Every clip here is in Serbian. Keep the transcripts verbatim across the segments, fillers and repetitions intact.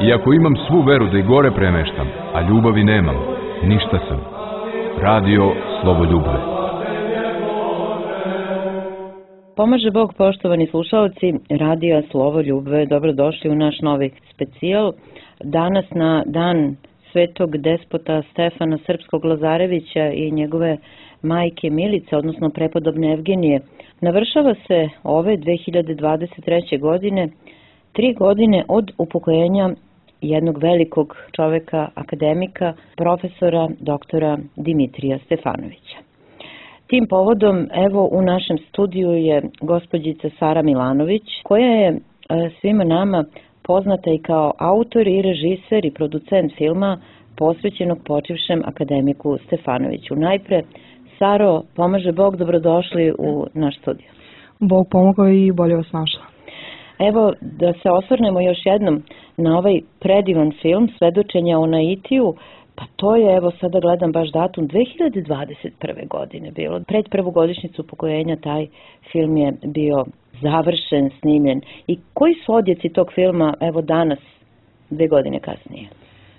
Iako imam svu veru da i gore premeštam, a ljubavi nemam, ništa sam. Radio Slovoljubve. Pomaže Bog, poštovani slušalci Radija Slovoljubve, dobrodošli u naš novi specijal. Danas na dan svetog despota Stefana Srpskog Lazarevića i njegove majke Milice, odnosno prepodobne Evgenije, navršava se ove dve hiljade dvadeset treće. godine, tri godine od upokojenja jednog velikog čoveka, akademika, profesora doktora Dimitrija Stefanovića. Tim povodom, evo, u našem studiju je gospođica Sara Milanović, koja je svima nama poznata i kao autor i režiser i producent filma posvećenog počivšem akademiku Stefanoviću. Najpre, Saro, pomaže Bog, dobrodošli u naš studiju. Bog pomogao i bolje vas našla. Evo, da se osvrnemo još jednom na ovaj predivan film Svedočenja o Naitiju. Pa to je, evo sada gledam baš datum, dve hiljade dvadeset prve. godine bilo. Pred prvu godišnjicu upokojenja taj film je bio završen, snimljen. I koji su odjeci tog filma, evo danas, dve godine kasnije?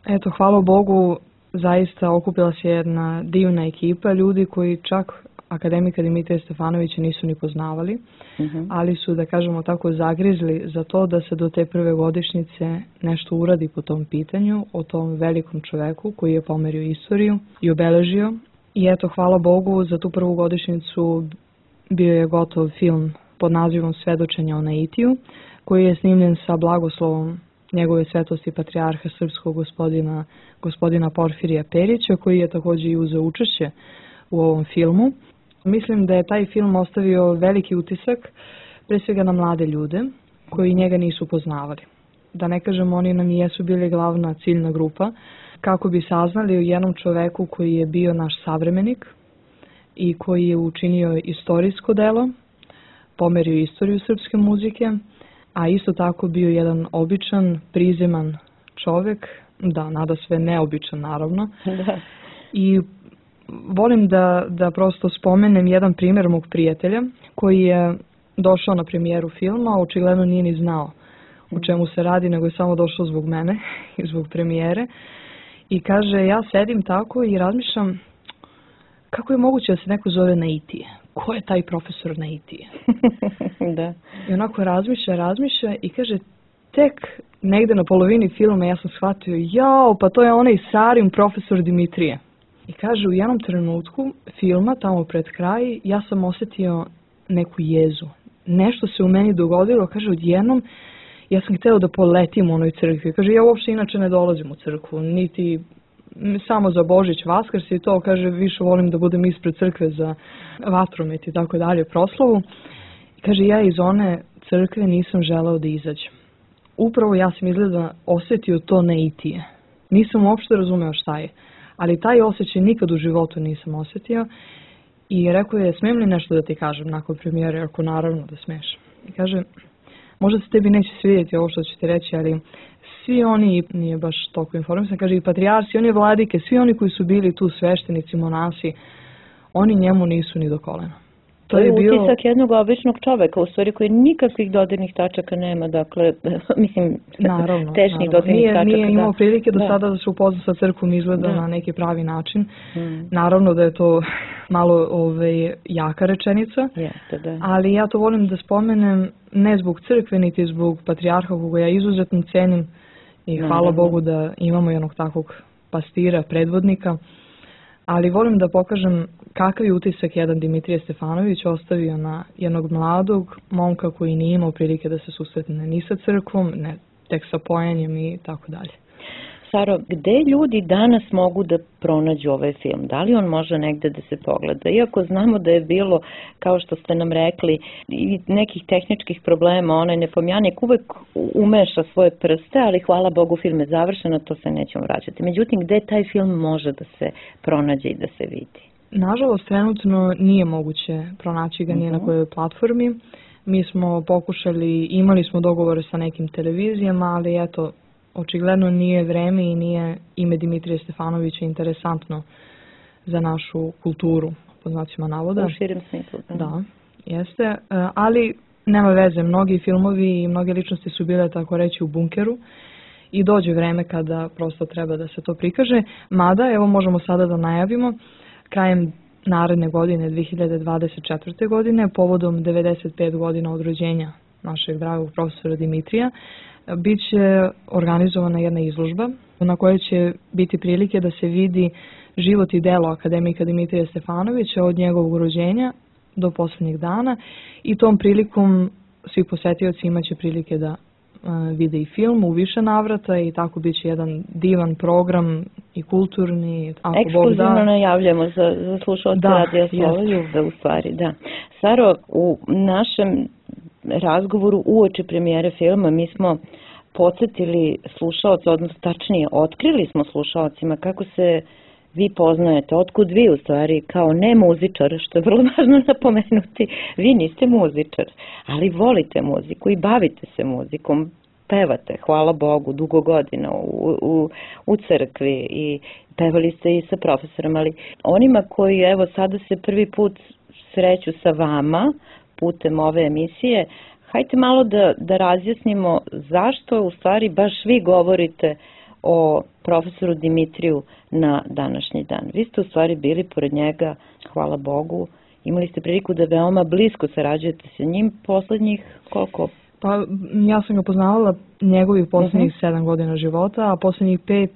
Eto, hvala Bogu, zaista okupila se jedna divna ekipa ljudi koji čak akademika Dimitrija Stefanovića nisu ni poznavali, uh-huh. ali su, da kažemo tako, zagrizli za to da se do te prve godišnjice nešto uradi po tom pitanju, o tom velikom čoveku koji je pomerio istoriju i obeležio. I eto, hvala Bogu, za tu prvu godišnjicu bio je gotov film pod nazivom Svedočenja o Naitiju, koji je snimljen sa blagoslovom njegove svetosti patrijarha srpskog gospodina, gospodina Porfirija Perića, koji je također i uzeo učešće u ovom filmu. Mislim da je taj film ostavio veliki utisak, pre svega na mlade ljude koji njega nisu poznavali. Da ne kažem, oni nam jesu bili glavna ciljna grupa, kako bi saznali o jednom čoveku koji je bio naš savremenik i koji je učinio istorijsko delo, pomerio istoriju srpske muzike, a isto tako bio jedan običan, prizeman čovek, da, nada sve neobičan naravno. Da. I volim da, da prosto spomenem jedan primjer mog prijatelja koji je došao na premijeru filma, očigledno nije ni znao o čemu se radi, nego je samo došao zbog mene i zbog premijere. I kaže, ja sedim tako i razmišljam kako je moguće da se neko zove Naitije. Ko je taj profesor Naitije? Da. I onako razmišlja, razmišlja i kaže, tek negde na polovini filma ja sam shvatio, jao, pa to je onaj Sarin profesor Dimitrije. I kaže, u jednom trenutku filma, tamo pred kraj, ja sam osjetio neku jezu. Nešto se u meni dogodilo, kaže, odjednom ja sam hteo da poletim u onoj crkvi. Kaže, ja uopšte inače ne dolazim u crkvu, niti samo za Božić, Vaskrs i to, kaže, više volim da budem ispred crkve za vatromet i tako dalje, proslavu. I kaže, ja iz one crkve nisam želeo da izađem. Upravo ja sam izgleda osjetio to Naitije. Nisam uopšte razumeo šta je. Ali taj osjećaj nikad u životu nisam osjetio i rekao je, smijem li nešto da ti kažem nakon premijere, ako naravno da smiješ. I kaže, možda se tebi neće svidjeti ovo što ću ti reći, ali svi oni, nije baš toliko informisan, kaže i patrijarsi, oni vladike, svi oni koji su bili tu sveštenici, monasi, oni njemu nisu ni do kolena. To je bio utisak jednog običnog čoveka, u stvari koji nikakvih dodirnih tačaka nema, dakle, mislim, naravno, tešnih naravno. dodirnih Nije, tačaka. Nije imao da. prilike do da. sada da se upozna sa crkvom, izgleda da. na neki pravi način. Hmm. Naravno da je to malo ove, jaka rečenica, Jeste, da. ali ja to volim da spomenem ne zbog crkve, niti zbog patrijarha koga ja izuzetno cenim i hvala naravno. Bogu da imamo jednog takvog pastira, predvodnika. Ali volim da pokažem kakav je utisak jedan Dimitrije Stefanović ostavio na jednog mladog momka koji nije imao prilike da se susretne ni sa crkvom, ne tek sa pojanjem i tako dalje. Saro, gde ljudi danas mogu da pronađu ovaj film? Da li on može negde da se pogleda? Iako znamo da je bilo, kao što ste nam rekli, i nekih tehničkih problema, onaj Nepomjanik uvek umeša svoje prste, ali hvala Bogu film je završen, to se nećemo vraćati. Međutim, gde taj film može da se pronađe i da se vidi? Nažalost, trenutno nije moguće pronaći ga nije uh-huh. na kojoj platformi. Mi smo pokušali, imali smo dogovore sa nekim televizijama, ali eto, očigledno nije vreme i nije ime Dimitrija Stefanovića interesantno za našu kulturu, po znacima navoda. U širem smislu. Da. da, jeste. Ali nema veze, mnogi filmovi i mnoge ličnosti su bile, tako reći, u bunkeru i dođe vreme kada prosto treba da se to prikaže. Mada, evo možemo sada da najavimo, krajem naredne godine, dve hiljade dvadeset četvrte. godine, povodom devedeset pet godina od rođenja našeg dragog profesora Dimitrija, bit će organizovana jedna izložba na kojoj će biti prilike da se vidi život i delo akademika Dimitrija Stefanovića od njegovog rođenja do poslednjeg dana i tom prilikom svi posetioci imaće prilike da vide i film u više navrata i tako bit će jedan divan program i kulturni. Ako Ekskluzivno Bog da, najavljamo za, za slušalce da, Radija Slova Ljubve u stvari, da. Saro, u našem razgovoru uoči premijere filma mi smo podsjetili slušalce, odnosno tačnije otkrili smo slušalcima kako se vi poznajete, otkud vi u stvari kao ne muzičar, što je vrlo važno napomenuti, vi niste muzičar, ali volite muziku i bavite se muzikom, pevate, hvala Bogu, dugo godina u, u, u crkvi i pevali ste i sa profesorom, ali onima koji evo sada se prvi put sreću sa vama putem ove emisije, hajte malo da, da razjasnimo zašto u stvari baš vi govorite o profesoru Dimitriju na današnji dan. Vi ste u stvari bili pored njega, hvala Bogu, imali ste priliku da veoma blisko sarađujete sa njim poslednjih koliko? Pa ja sam ga poznavala njegovih poslednjih uh-huh. sedam godina života, a poslednjih pet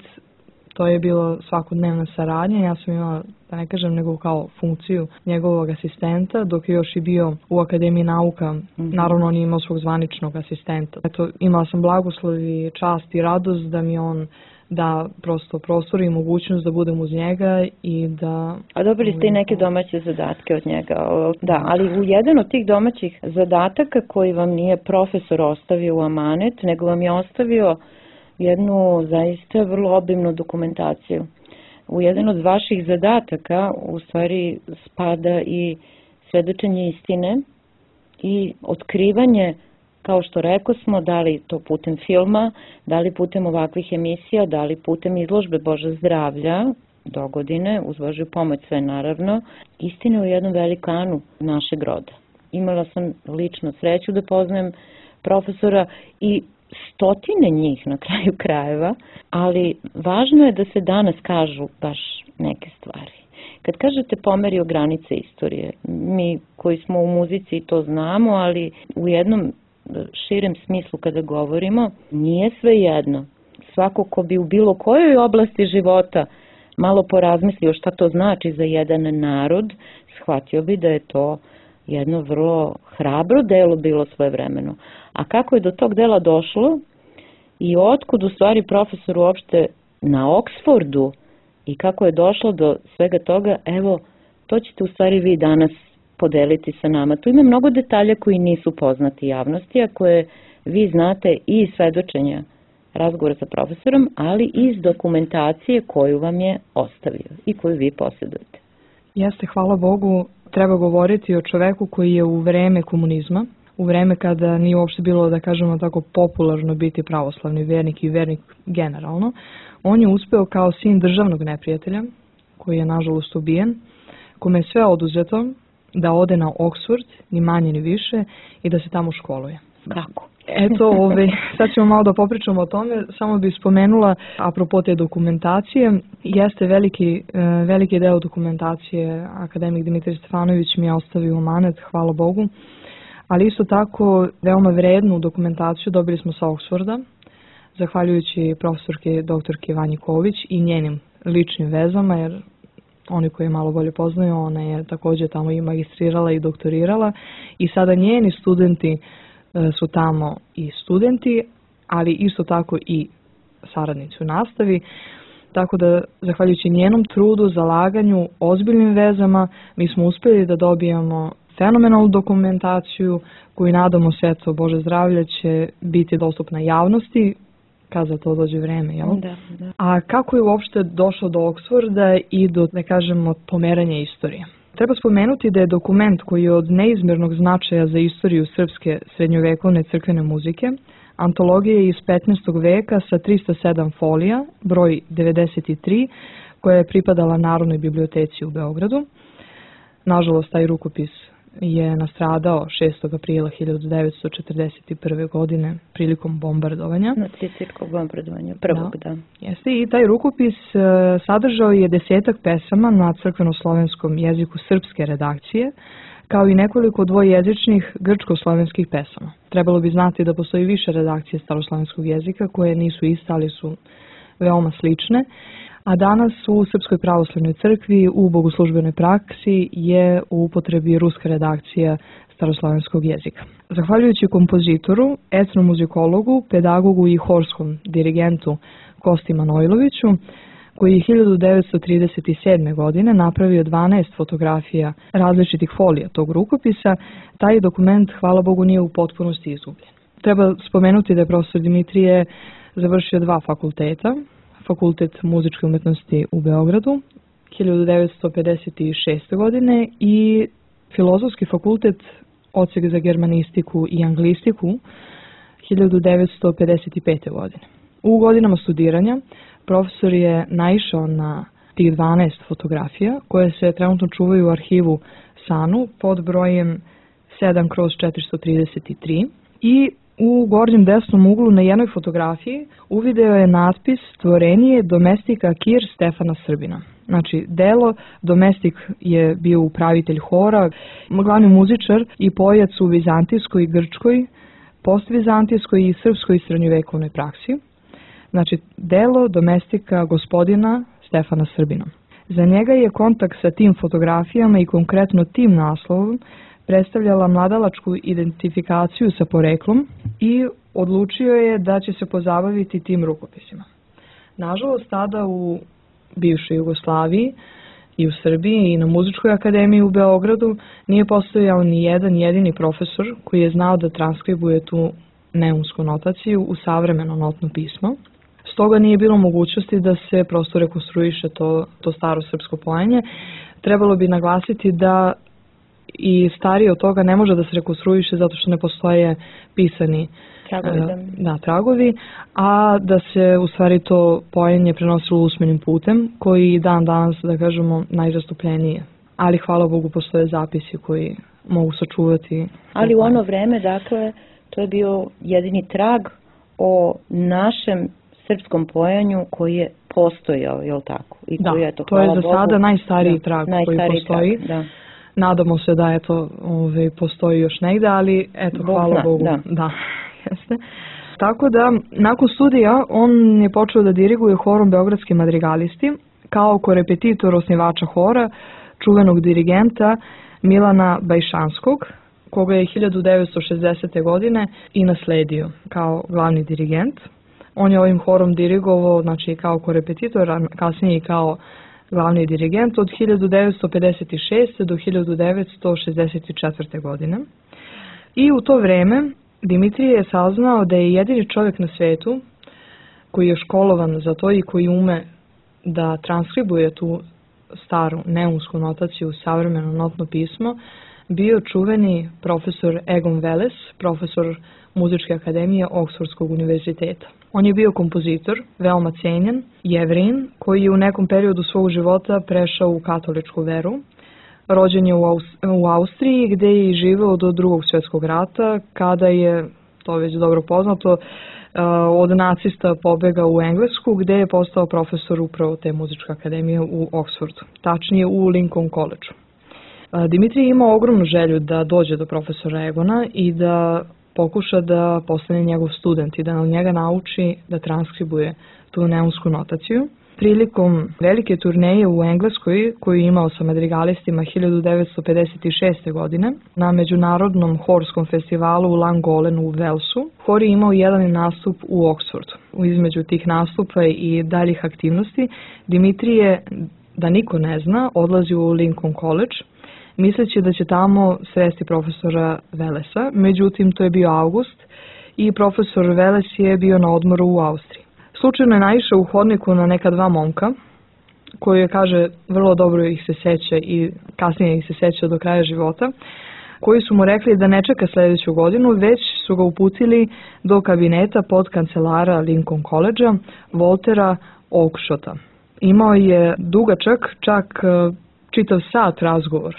to je bilo svakodnevna saradnja. Ja sam imala, da ne kažem, nego kao funkciju njegovog asistenta, dok je još i bio u Akademiji nauka. Mm-hmm. Naravno, on je imao svog zvaničnog asistenta. Eto, imala sam blagoslov i čast i radost da mi on da prosto prostor i mogućnost da budem uz njega i da... A dobili ste i neke domaće zadatke od njega. Da, ali u jedan od tih domaćih zadataka koji vam nije profesor ostavio u amanet, nego vam je ostavio jednu zaista vrlo obimnu dokumentaciju. U jedan od vaših zadataka u stvari spada i svedočenje istine i otkrivanje, kao što rekao smo, da li to putem filma, da li putem ovakvih emisija, da li putem izložbe Boža zdravlja do godine, uz Božju pomoć sve naravno, istine u jednom velikanu našeg roda. Imala sam lično sreću da poznajem profesora i stotine njih na kraju krajeva, ali važno je da se danas kažu baš neke stvari. Kad kažete pomerio granice istorije, mi koji smo u muzici to znamo, ali u jednom širem smislu kada govorimo, nije sve jedno. Svako ko bi u bilo kojoj oblasti života malo porazmislio šta to znači za jedan narod, shvatio bi da je to jedno vrlo hrabro delo bilo svojevremeno. A kako je do tog dela došlo i otkud u stvari profesor uopšte na Oksfordu i kako je došlo do svega toga, evo, to ćete u stvari vi danas podeliti sa nama. Tu ima mnogo detalja koji nisu poznati javnosti, a koje vi znate i iz svedočenja razgovora sa profesorom, ali i iz dokumentacije koju vam je ostavio i koju vi posjedujete. Jeste, hvala Bogu, treba govoriti o čoveku koji je u vreme komunizma, u vreme kada nije uopšte bilo, da kažemo tako, popularno biti pravoslavni vernik i vernik generalno, on je uspeo kao sin državnog neprijatelja, koji je nažalost ubijen, kome je sve oduzeto da ode na Oksford, ni manje ni više, i da se tamo školuje. Kako? Eto, ove, sad ćemo malo da popričamo o tome, samo bih spomenula, apropo te dokumentacije, jeste veliki, veliki deo dokumentacije akademik Dimitrij Stefanović mi je ostavio u amanet, hvala Bogu, ali isto tako veoma vrednu dokumentaciju dobili smo sa Oksforda, zahvaljujući profesorke doktorke Vanji Ković i njenim ličnim vezama, jer oni koji je malo bolje poznaju, ona je također tamo i magistrirala i doktorirala i sada njeni studenti su tamo i studenti, ali isto tako i saradnici u nastavi, tako da zahvaljujući njenom trudu, zalaganju, ozbiljnim vezama, mi smo uspjeli da dobijemo fenomenalnu dokumentaciju koju nadamo se, eto, Bože zdravlje, će biti dostupna javnosti kad za to dođe vreme, jel? Da, da. A kako je uopšte došlo do Oksforda i do, da kažemo, pomeranja istorije? Treba spomenuti da je dokument koji je od neizmjernog značaja za istoriju srpske srednjovekovne crkvene muzike, antologija iz petnaestog veka sa trista sedam folija, broj devedeset tri, koja je pripadala Narodnoj biblioteci u Beogradu. Nažalost, taj rukopis je nastradao šestog aprila hiljadu devetsto četrdeset prve. godine prilikom bombardovanja. Nacističkog bombardovanja, prvog, da. da. Jeste, i taj rukopis sadržao je desetak pesama na crkveno-slovenskom jeziku srpske redakcije, kao i nekoliko dvojezičnih grčko-slovenskih pesama. Trebalo bi znati da postoji više redakcije staroslovenskog jezika koje nisu iste, ali su veoma slične, a danas u Srpskoj pravoslavnoj crkvi u bogoslužbenoj praksi je u upotrebi ruska redakcija staroslovenskog jezika. Zahvaljujući kompozitoru, etnomuzikologu, pedagogu i horskom dirigentu Kosti Manojloviću, koji je hiljadu devetsto trideset sedme. godine napravio dvanaest fotografija različitih folija tog rukopisa, taj dokument, hvala Bogu, nije u potpunosti izgubljen. Treba spomenuti da je profesor Dimitrije završio dva fakulteta, Fakultet muzičke umetnosti u Beogradu hiljadu devetsto pedeset šeste. godine i Filozofski fakultet, odsek za germanistiku i anglistiku hiljadu devetsto pedeset pete. godine. U godinama studiranja profesor je naišao na tih dvanaest fotografija koje se trenutno čuvaju u arhivu SANU pod brojem sedam kroz četiristo trideset tri i u gornjem desnom uglu na jednoj fotografiji uvideo je natpis Tvorenije domestika Kir Stefana Srbina. Znači, delo domestik je bio upravitelj hora, glavni muzičar i pojac u vizantijskoj i grčkoj, postvizantijskoj i srpskoj srednjovekovnoj praksi. Znači, delo domestika gospodina Stefana Srbina. Za njega je kontakt sa tim fotografijama i konkretno tim naslovom predstavljala mladalačku identifikaciju sa poreklom i odlučio je da će se pozabaviti tim rukopisima. Nažalost, tada u bivšoj Jugoslaviji i u Srbiji i na Muzičkoj akademiji u Beogradu nije postojao ni jedan jedini profesor koji je znao da transkribuje tu neumsku notaciju u savremeno notno pismo. Stoga nije bilo mogućnosti da se prosto rekonstruiše to, to staro srpsko pojenje. Trebalo bi naglasiti da i starije od toga ne može da se rekonstruiše zato što ne postoje pisani tragovi, da. Da, tragovi, a da se u stvari to pojenje prenosilo usmenim putem koji dan danas, da kažemo, najzastupljenije. Ali hvala Bogu postoje zapisi koji mogu sačuvati. Ali u ono vreme, dakle, to je bio jedini trag o našem srpskom pojanju koji je postojao, je li tako? I da, koji je to, to je za Bogu, sada najstariji da, trag najstariji koji postoji. Trag, da. Nadamo se da eto, ove, postoji još negde, ali eto, Bog hvala zna, Bogu. Da. Da, jeste. Tako da, nakon studija, on je počeo da diriguje horom Beogradski madrigalisti, kao korepetitor osnivača hora, čuvenog dirigenta Milana Bajšanskog, koga je hiljadu devetsto šezdesete. godine i nasledio kao glavni dirigent. On je ovim horom dirigovao, znači kao korepetitor, a kasnije i kao glavni dirigent od hiljadu devetsto pedeset šeste. do hiljadu devetsto šezdeset četvrte. godine. I u to vreme Dimitrije je saznao da je jedini čovjek na svetu koji je školovan za to i koji ume da transkribuje tu staru neumsku notaciju u savremeno notno pismo, bio čuveni profesor Egon Veles, profesor Muzičke akademije Oksfordskog univerziteta. On je bio kompozitor, veoma cenjen, Jevrin, koji je u nekom periodu svog života prešao u katoličku veru. Rođen je u, Aus- u Austriji gde je i živeo do drugog svjetskog rata, kada je, to već dobro poznato, od nacista pobegao u Englesku gde je postao profesor upravo te muzičke akademije u Oksfordu, tačnije u Lincoln College. Dimitrij je imao ogromnu želju da dođe do profesora Egona i da pokuša da postane njegov student i da od njega nauči da transkribuje tu neumsku notaciju. Prilikom velike turneje u Engleskoj, koju je imao sa madrigalistima hiljadu devetsto pedeset šeste. godine, na međunarodnom horskom festivalu u Llangollen u Walesu, hor je imao jedan nastup u Oksfordu. Između tih nastupa i daljih aktivnosti, Dimitrije, da niko ne zna, odlazi u Lincoln College, misleći da će tamo sresti profesora Velesa. Međutim, to je bio avgust i profesor Veles je bio na odmoru u Austriji. Slučajno je naišao u hodniku na neka dva momka, koji je, kaže, vrlo dobro ih se seća i kasnije ih se seća do kraja života, koji su mu rekli da ne čeka sljedeću godinu, već su ga uputili do kabineta pod kancelara Lincoln College-a, Waltera Oakeshota. Imao je dugačak, čak čitav sat razgovor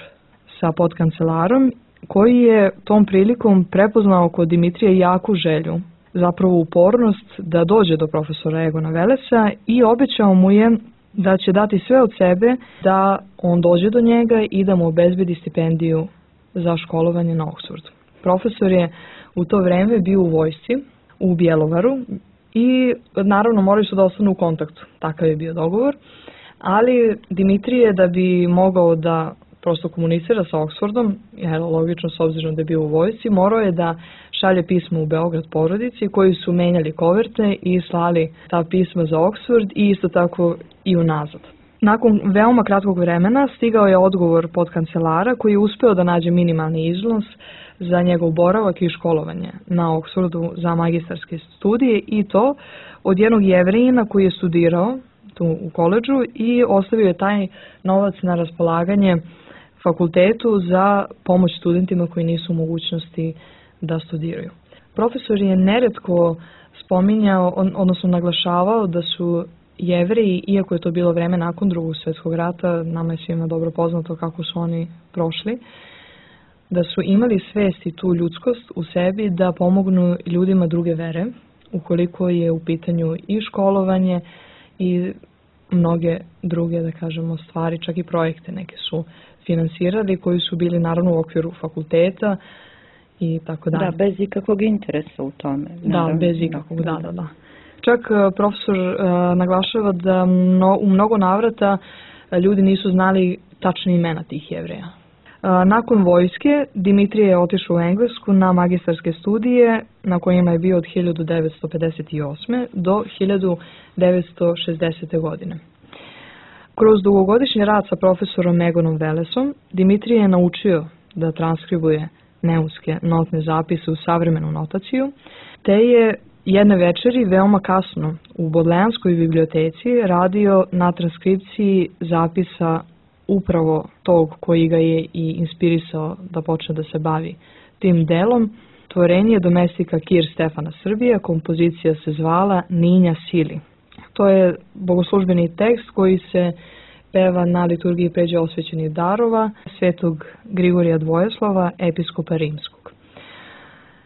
sa podkancelarom koji je tom prilikom prepoznao kod Dimitrija jaku želju, zapravo upornost da dođe do profesora Egona Velesa i obećao mu je da će dati sve od sebe da on dođe do njega i da mu obezbedi stipendiju za školovanje na Oxfordu. Profesor je u to vreme bio u vojsci u Bjelovaru i naravno morali su da ostanu u kontaktu, takav je bio dogovor, ali Dimitrije da bi mogao da prosto komunicira sa Oxfordom, jer logično s obzirom da je bio u vojsci, morao je da šalje pismo u Beograd porodici koji su menjali koverte i slali ta pisma za Oxford i isto tako i unazad. Nakon veoma kratkog vremena stigao je odgovor pod kancelara koji je uspeo da nađe minimalni iznos za njegov boravak i školovanje na Oxfordu za magistarske studije i to od jednog Jevrejina koji je studirao tu u koledžu i ostavio je taj novac na raspolaganje fakultetu za pomoć studentima koji nisu u mogućnosti da studiraju. Profesor je neretko spominjao, odnosno naglašavao da su Jevreji, iako je to bilo vreme nakon Drugog svjetskog rata, nama je svima dobro poznato kako su oni prošli, da su imali svest i tu ljudskost u sebi da pomognu ljudima druge vere, ukoliko je u pitanju i školovanje i mnoge druge, da kažemo, stvari, čak i projekte neke su finansirali koji su bili naravno u okviru fakulteta i tako dalje. Da, bez ikakvog interesa u tome. Da, bez ikakvog, da, da, da. Čak profesor uh, naglašava da mno, u mnogo navrata ljudi nisu znali tačne imena tih Jevreja. Uh, nakon vojske Dimitrije je otišao u Englesku na magistarske studije na kojima je bio od hiljadu devetsto pedeset osme. do hiljadu devetsto šezdesete. godine. Kroz dugogodišnji rad sa profesorom Egonom Velesom, Dimitrije je naučio da transkribuje neuske notne zapise u savremenu notaciju, te je jedne večeri veoma kasno u Bodlejanskoj biblioteci radio na transkripciji zapisa upravo tog koji ga je i inspirisao da počne da se bavi tim delom. Tvorenje domestika Kir Stefana Srbija, kompozicija se zvala Ninja Sili. To je bogoslužbeni tekst koji se peva na liturgiji pređe osvećenih darova svetog Grigorija Dvojeslava, episkopa rimskog.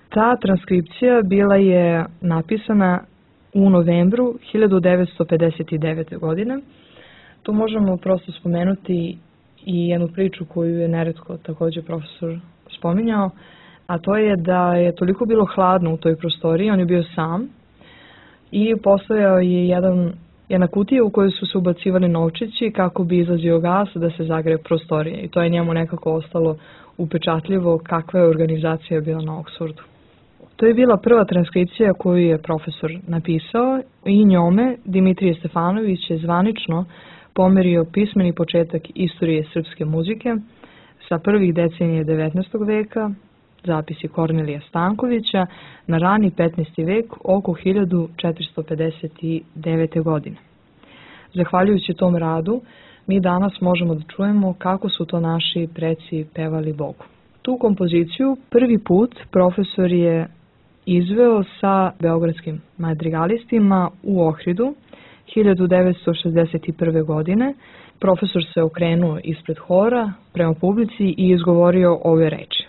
Ta transkripcija bila je napisana u novembru hiljadu devetsto pedeset devete. godine. Tu možemo prosto spomenuti i jednu priču koju je neretko također profesor spominjao, a to je da je toliko bilo hladno u toj prostoriji, on je bio sam i postojao je jedan, jedna kutija u kojoj su se ubacivali novčići kako bi izlazio gas da se zagreje prostorije i to je njemu nekako ostalo upečatljivo kakva je organizacija bila na Oxfordu. To je bila prva transkripcija koju je profesor napisao i njome Dimitrije Stefanović je zvanično pomerio pismeni početak istorije srpske muzike sa prvih decenije devetnaestog veka, zapisi Kornelija Stankovića, na rani petnaesti vek oko hiljadu četiristo pedeset devete. godine. Zahvaljujući tom radu, mi danas možemo da čujemo kako su to naši preci pevali Bogu. Tu kompoziciju prvi put profesor je izveo sa beogradskim madrigalistima u Ohridu hiljadu devetsto šezdeset prve. godine. Profesor se okrenuo ispred hora prema publici i izgovorio ove reči.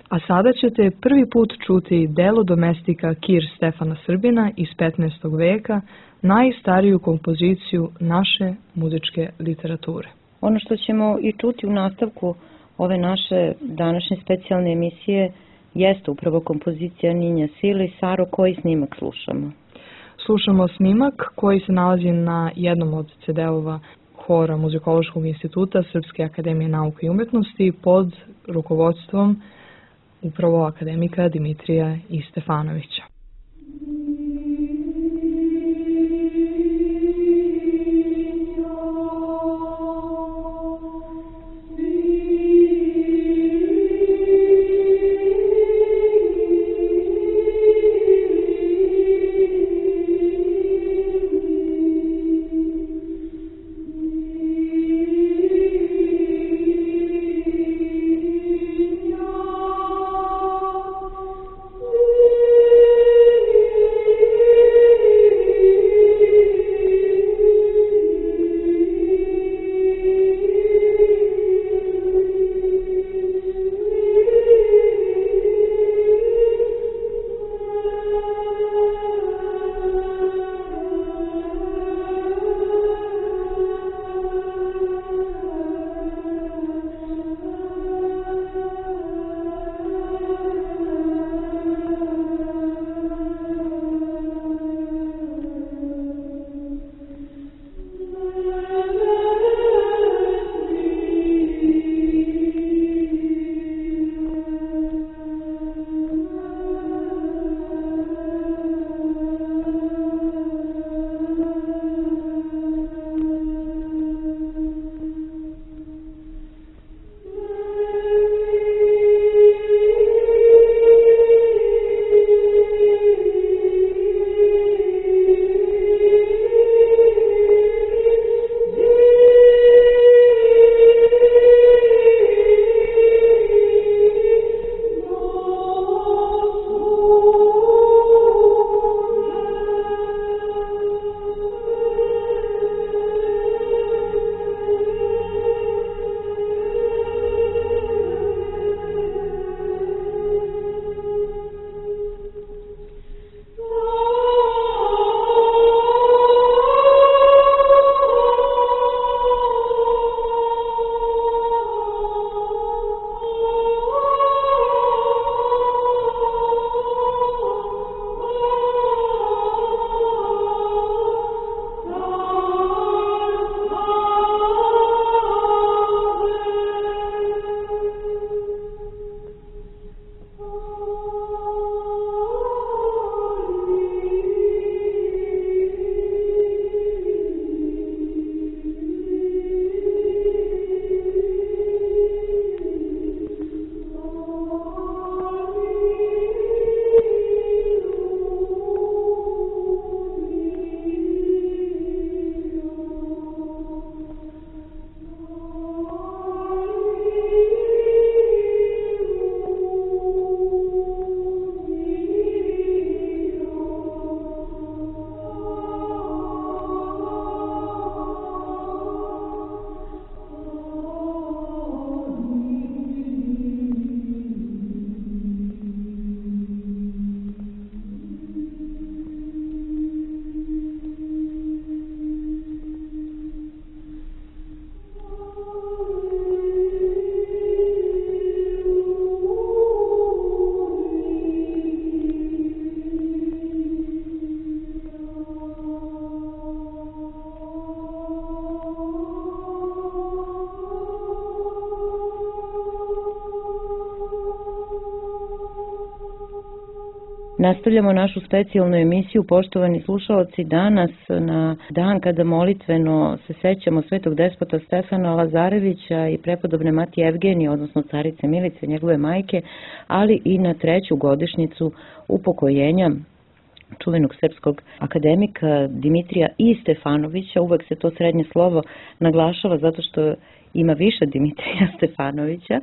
A sada ćete prvi put čuti delo domestika Kir Stefana Srbina iz petnaestog veka, najstariju kompoziciju naše muzičke literature. Ono što ćemo i čuti u nastavku ove naše današnje specijalne emisije jeste upravo kompozicija Ninja Sili. Saro, koji snimak slušamo? Slušamo snimak koji se nalazi na jednom od ce de-ova hora Muzikološkog instituta Srpske akademije nauke i umetnosti pod rukovodstvom upravo akademika Dimitrija Stefanovića. Thank you. Nastavljamo našu specijalnu emisiju, poštovani slušalci, danas na dan kada molitveno se sećamo svetog despota Stefana Lazarevića i prepodobne Matije Evgenije, odnosno carice Milice, njegove majke, ali i na treću godišnjicu upokojenja čuvenog srpskog akademika Dimitrija I. Stefanovića. Uvek se to srednje slovo naglašava zato što ima više Dimitrija Stefanovića,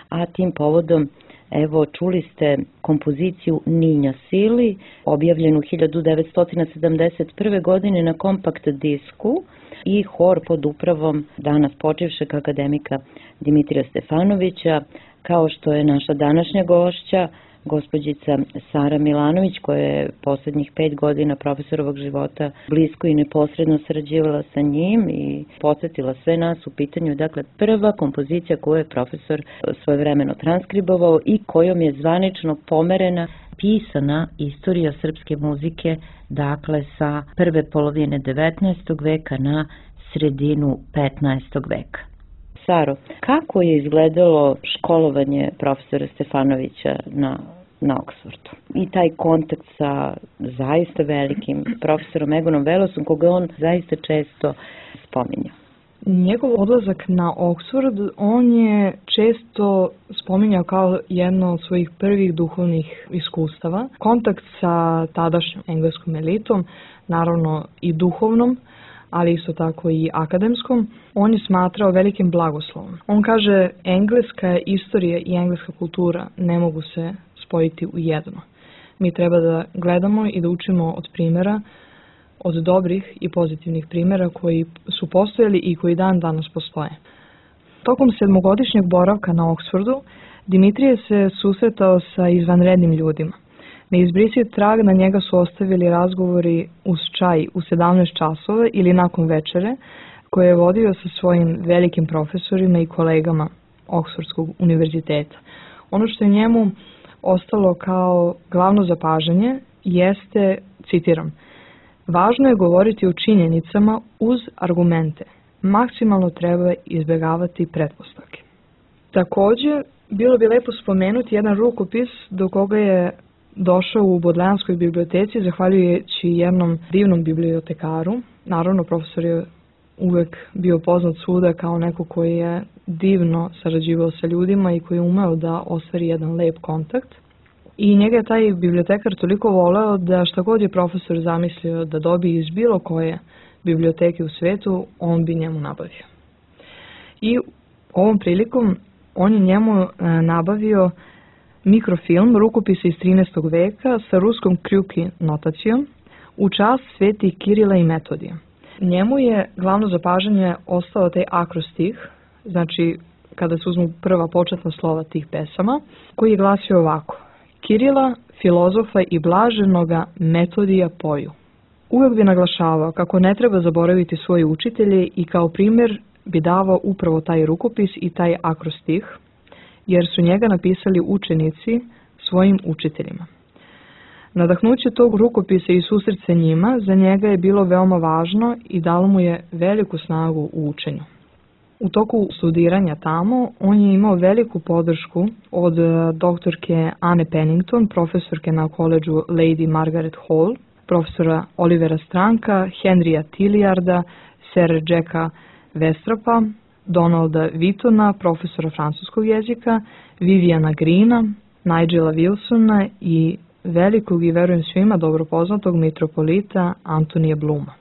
a tim povodom evo čuli ste kompoziciju Ninja Sili, objavljenu hiljadu devetsto sedamdeset prve. godine na kompakt disku i hor pod upravom danas počivšeg akademika Dimitrija Stefanovića, kao što je naša današnja gošća, gospođica Sara Milanović, koja je poslednjih pet godina profesorovog života blisko i neposredno sarađivala sa njim i podsjetila sve nas u pitanju. Dakle, prva kompozicija koju je profesor svojevremeno transkribovao i kojom je zvanično pomerena pisana istorija srpske muzike, dakle sa prve polovine devetnaestog veka na sredinu petnaestog veka. Saro, kako je izgledalo školovanje profesora Stefanovića na, na Oksfordu? I taj kontakt sa zaista velikim profesorom Egonom Velosom, koga on zaista često spominja. Njegov odlazak na Oksford, on je često spominjao kao jedno od svojih prvih duhovnih iskustava. Kontakt sa tadašnjom engleskom elitom, naravno i duhovnom, ali isto tako i akademskom, on je smatrao velikim blagoslovom. On kaže, engleska istorija i engleska kultura ne mogu se spojiti u jedno. Mi treba da gledamo i da učimo od primjera, od dobrih i pozitivnih primjera koji su postojali i koji dan danas postoje. Tokom sedmogodišnjeg boravka na Oksfordu, Dimitrije se susretao sa izvanrednim ljudima. Neizbrisiv trag na njega su ostavili razgovori uz čaj u sedamnaest časova ili nakon večere, koje je vodio sa svojim velikim profesorima i kolegama Oksfordskog univerziteta. Ono što je njemu ostalo kao glavno zapažanje jeste, citiram, važno je govoriti o činjenicama uz argumente. Maksimalno treba izbjegavati pretpostavke. Također, bilo bi lepo spomenuti jedan rukopis do koga je došao u Bodlejanskoj biblioteci, zahvaljujući jednom divnom bibliotekaru. Naravno, profesor je uvek bio poznat svuda kao neko koji je divno sarađivao sa ljudima i koji je umeo da ostvari jedan lep kontakt. I njega je taj bibliotekar toliko voleo da šta god je profesor zamislio da dobije iz bilo koje biblioteke u svetu, on bi njemu nabavio. I ovom prilikom on je njemu nabavio mikrofilm rukopisa iz trinaestog veka sa ruskom krjuki notacijom u čast sveti Kirila i Metodija. Njemu je glavno zapažanje ostao taj akrostih, znači kada se uzmu prva početna slova tih pesama, koji je glasio ovako: Kirila, filozofa i blaženoga Metodija poju. Uvek bi naglašavao kako ne treba zaboraviti svoje učitelje i kao primjer bi davao upravo taj rukopis i taj akrostih, jer su njega napisali učenici svojim učiteljima. Nadahnuće tog rukopisa i susret sa njima za njega je bilo veoma važno i dalo mu je veliku snagu u učenju. U toku studiranja tamo on je imao veliku podršku od doktorke Anne Pennington, profesorke na koledžu Lady Margaret Hall, profesora Olivera Stranka, Henrya Tilliarda, Sir Jacka Westrapa, Donalda Whittona, profesora francuskog jezika, Viviana Greena, Nigela Wilsona i velikog i verujem svima dobro poznatog mitropolita Antonija Bluma.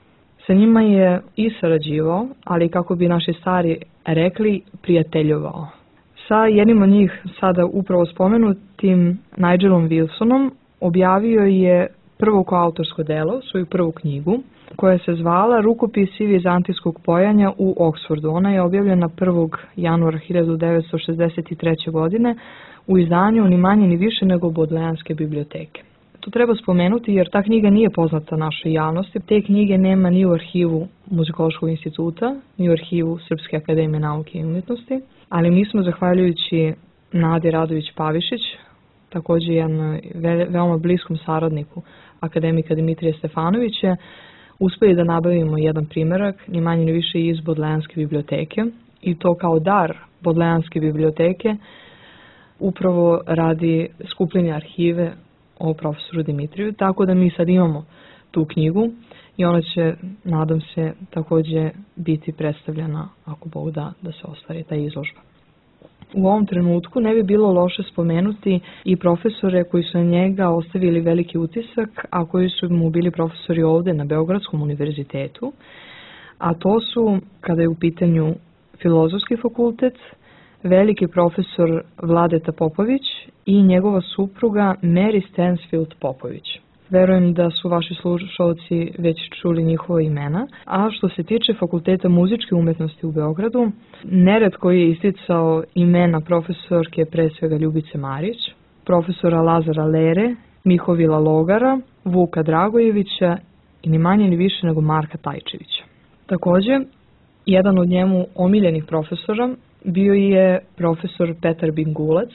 Sa njima je i sarađivao, ali kako bi naši stari rekli, prijateljovao. Sa jednim od njih, sada upravo spomenutim Nigelom Wilsonom, objavio je prvo koautorsko delo, svoju prvu knjigu, koja se zvala Rukopisi vizantijskog pojanja u Oksfordu. Ona je objavljena prvog januara hiljadu devetsto šezdeset treće. godine u izdanju ni manje ni više nego Bodlejanske biblioteke. To treba spomenuti jer ta knjiga nije poznata našoj javnosti. Te knjige nema ni u arhivu Muzikološkog instituta, ni u arhivu Srpske akademije nauke i umjetnosti, ali mi smo, zahvaljujući Nadi Radović-Pavišić, također jednom veoma bliskom saradniku akademika Dimitrija Stefanovića, uspeli da nabavimo jedan primjerak, ni manje ni više iz Bodlejanske biblioteke, i to kao dar Bodlejanske biblioteke, upravo radi skupljenja arhive o profesoru Dimitriju, tako da mi sad imamo tu knjigu i ona će, nadam se, također biti predstavljena, ako Bog da, da se ostvari ta izložba. U ovom trenutku ne bi bilo loše spomenuti i profesore koji su na njega ostavili veliki utisak, a koji su mu bili profesori ovde na Beogradskom univerzitetu, a to su, kada je u pitanju Filozofski fakultet, veliki profesor Vladeta Popović i njegova supruga Mary Stansfield Popović. Verujem da su vaši slušalci već čuli njihova imena, a što se tiče Fakulteta muzičke umetnosti u Beogradu, neretko je isticao imena profesorke pre svega Ljubice Marić, profesora Lazara Lere, Mihovila Logara, Vuka Dragojevića i ni manje ni više nego Marka Tajčevića. Također, jedan od njemu omiljenih profesora bio je profesor Petar Bingulac,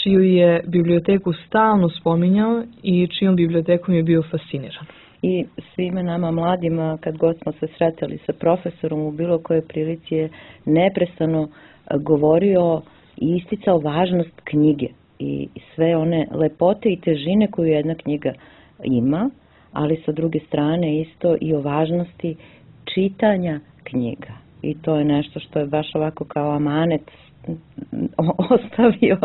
čiju je biblioteku stalno spominjao i čijom bibliotekom je bio fasciniran. I svime nama mladima, kad god smo se sretali sa profesorom u bilo kojoj prilici, je neprestano govorio i isticao važnost knjige i sve one lepote i težine koju jedna knjiga ima, ali sa druge strane isto i o važnosti čitanja knjiga. I to je nešto što je baš ovako kao amanet ostavio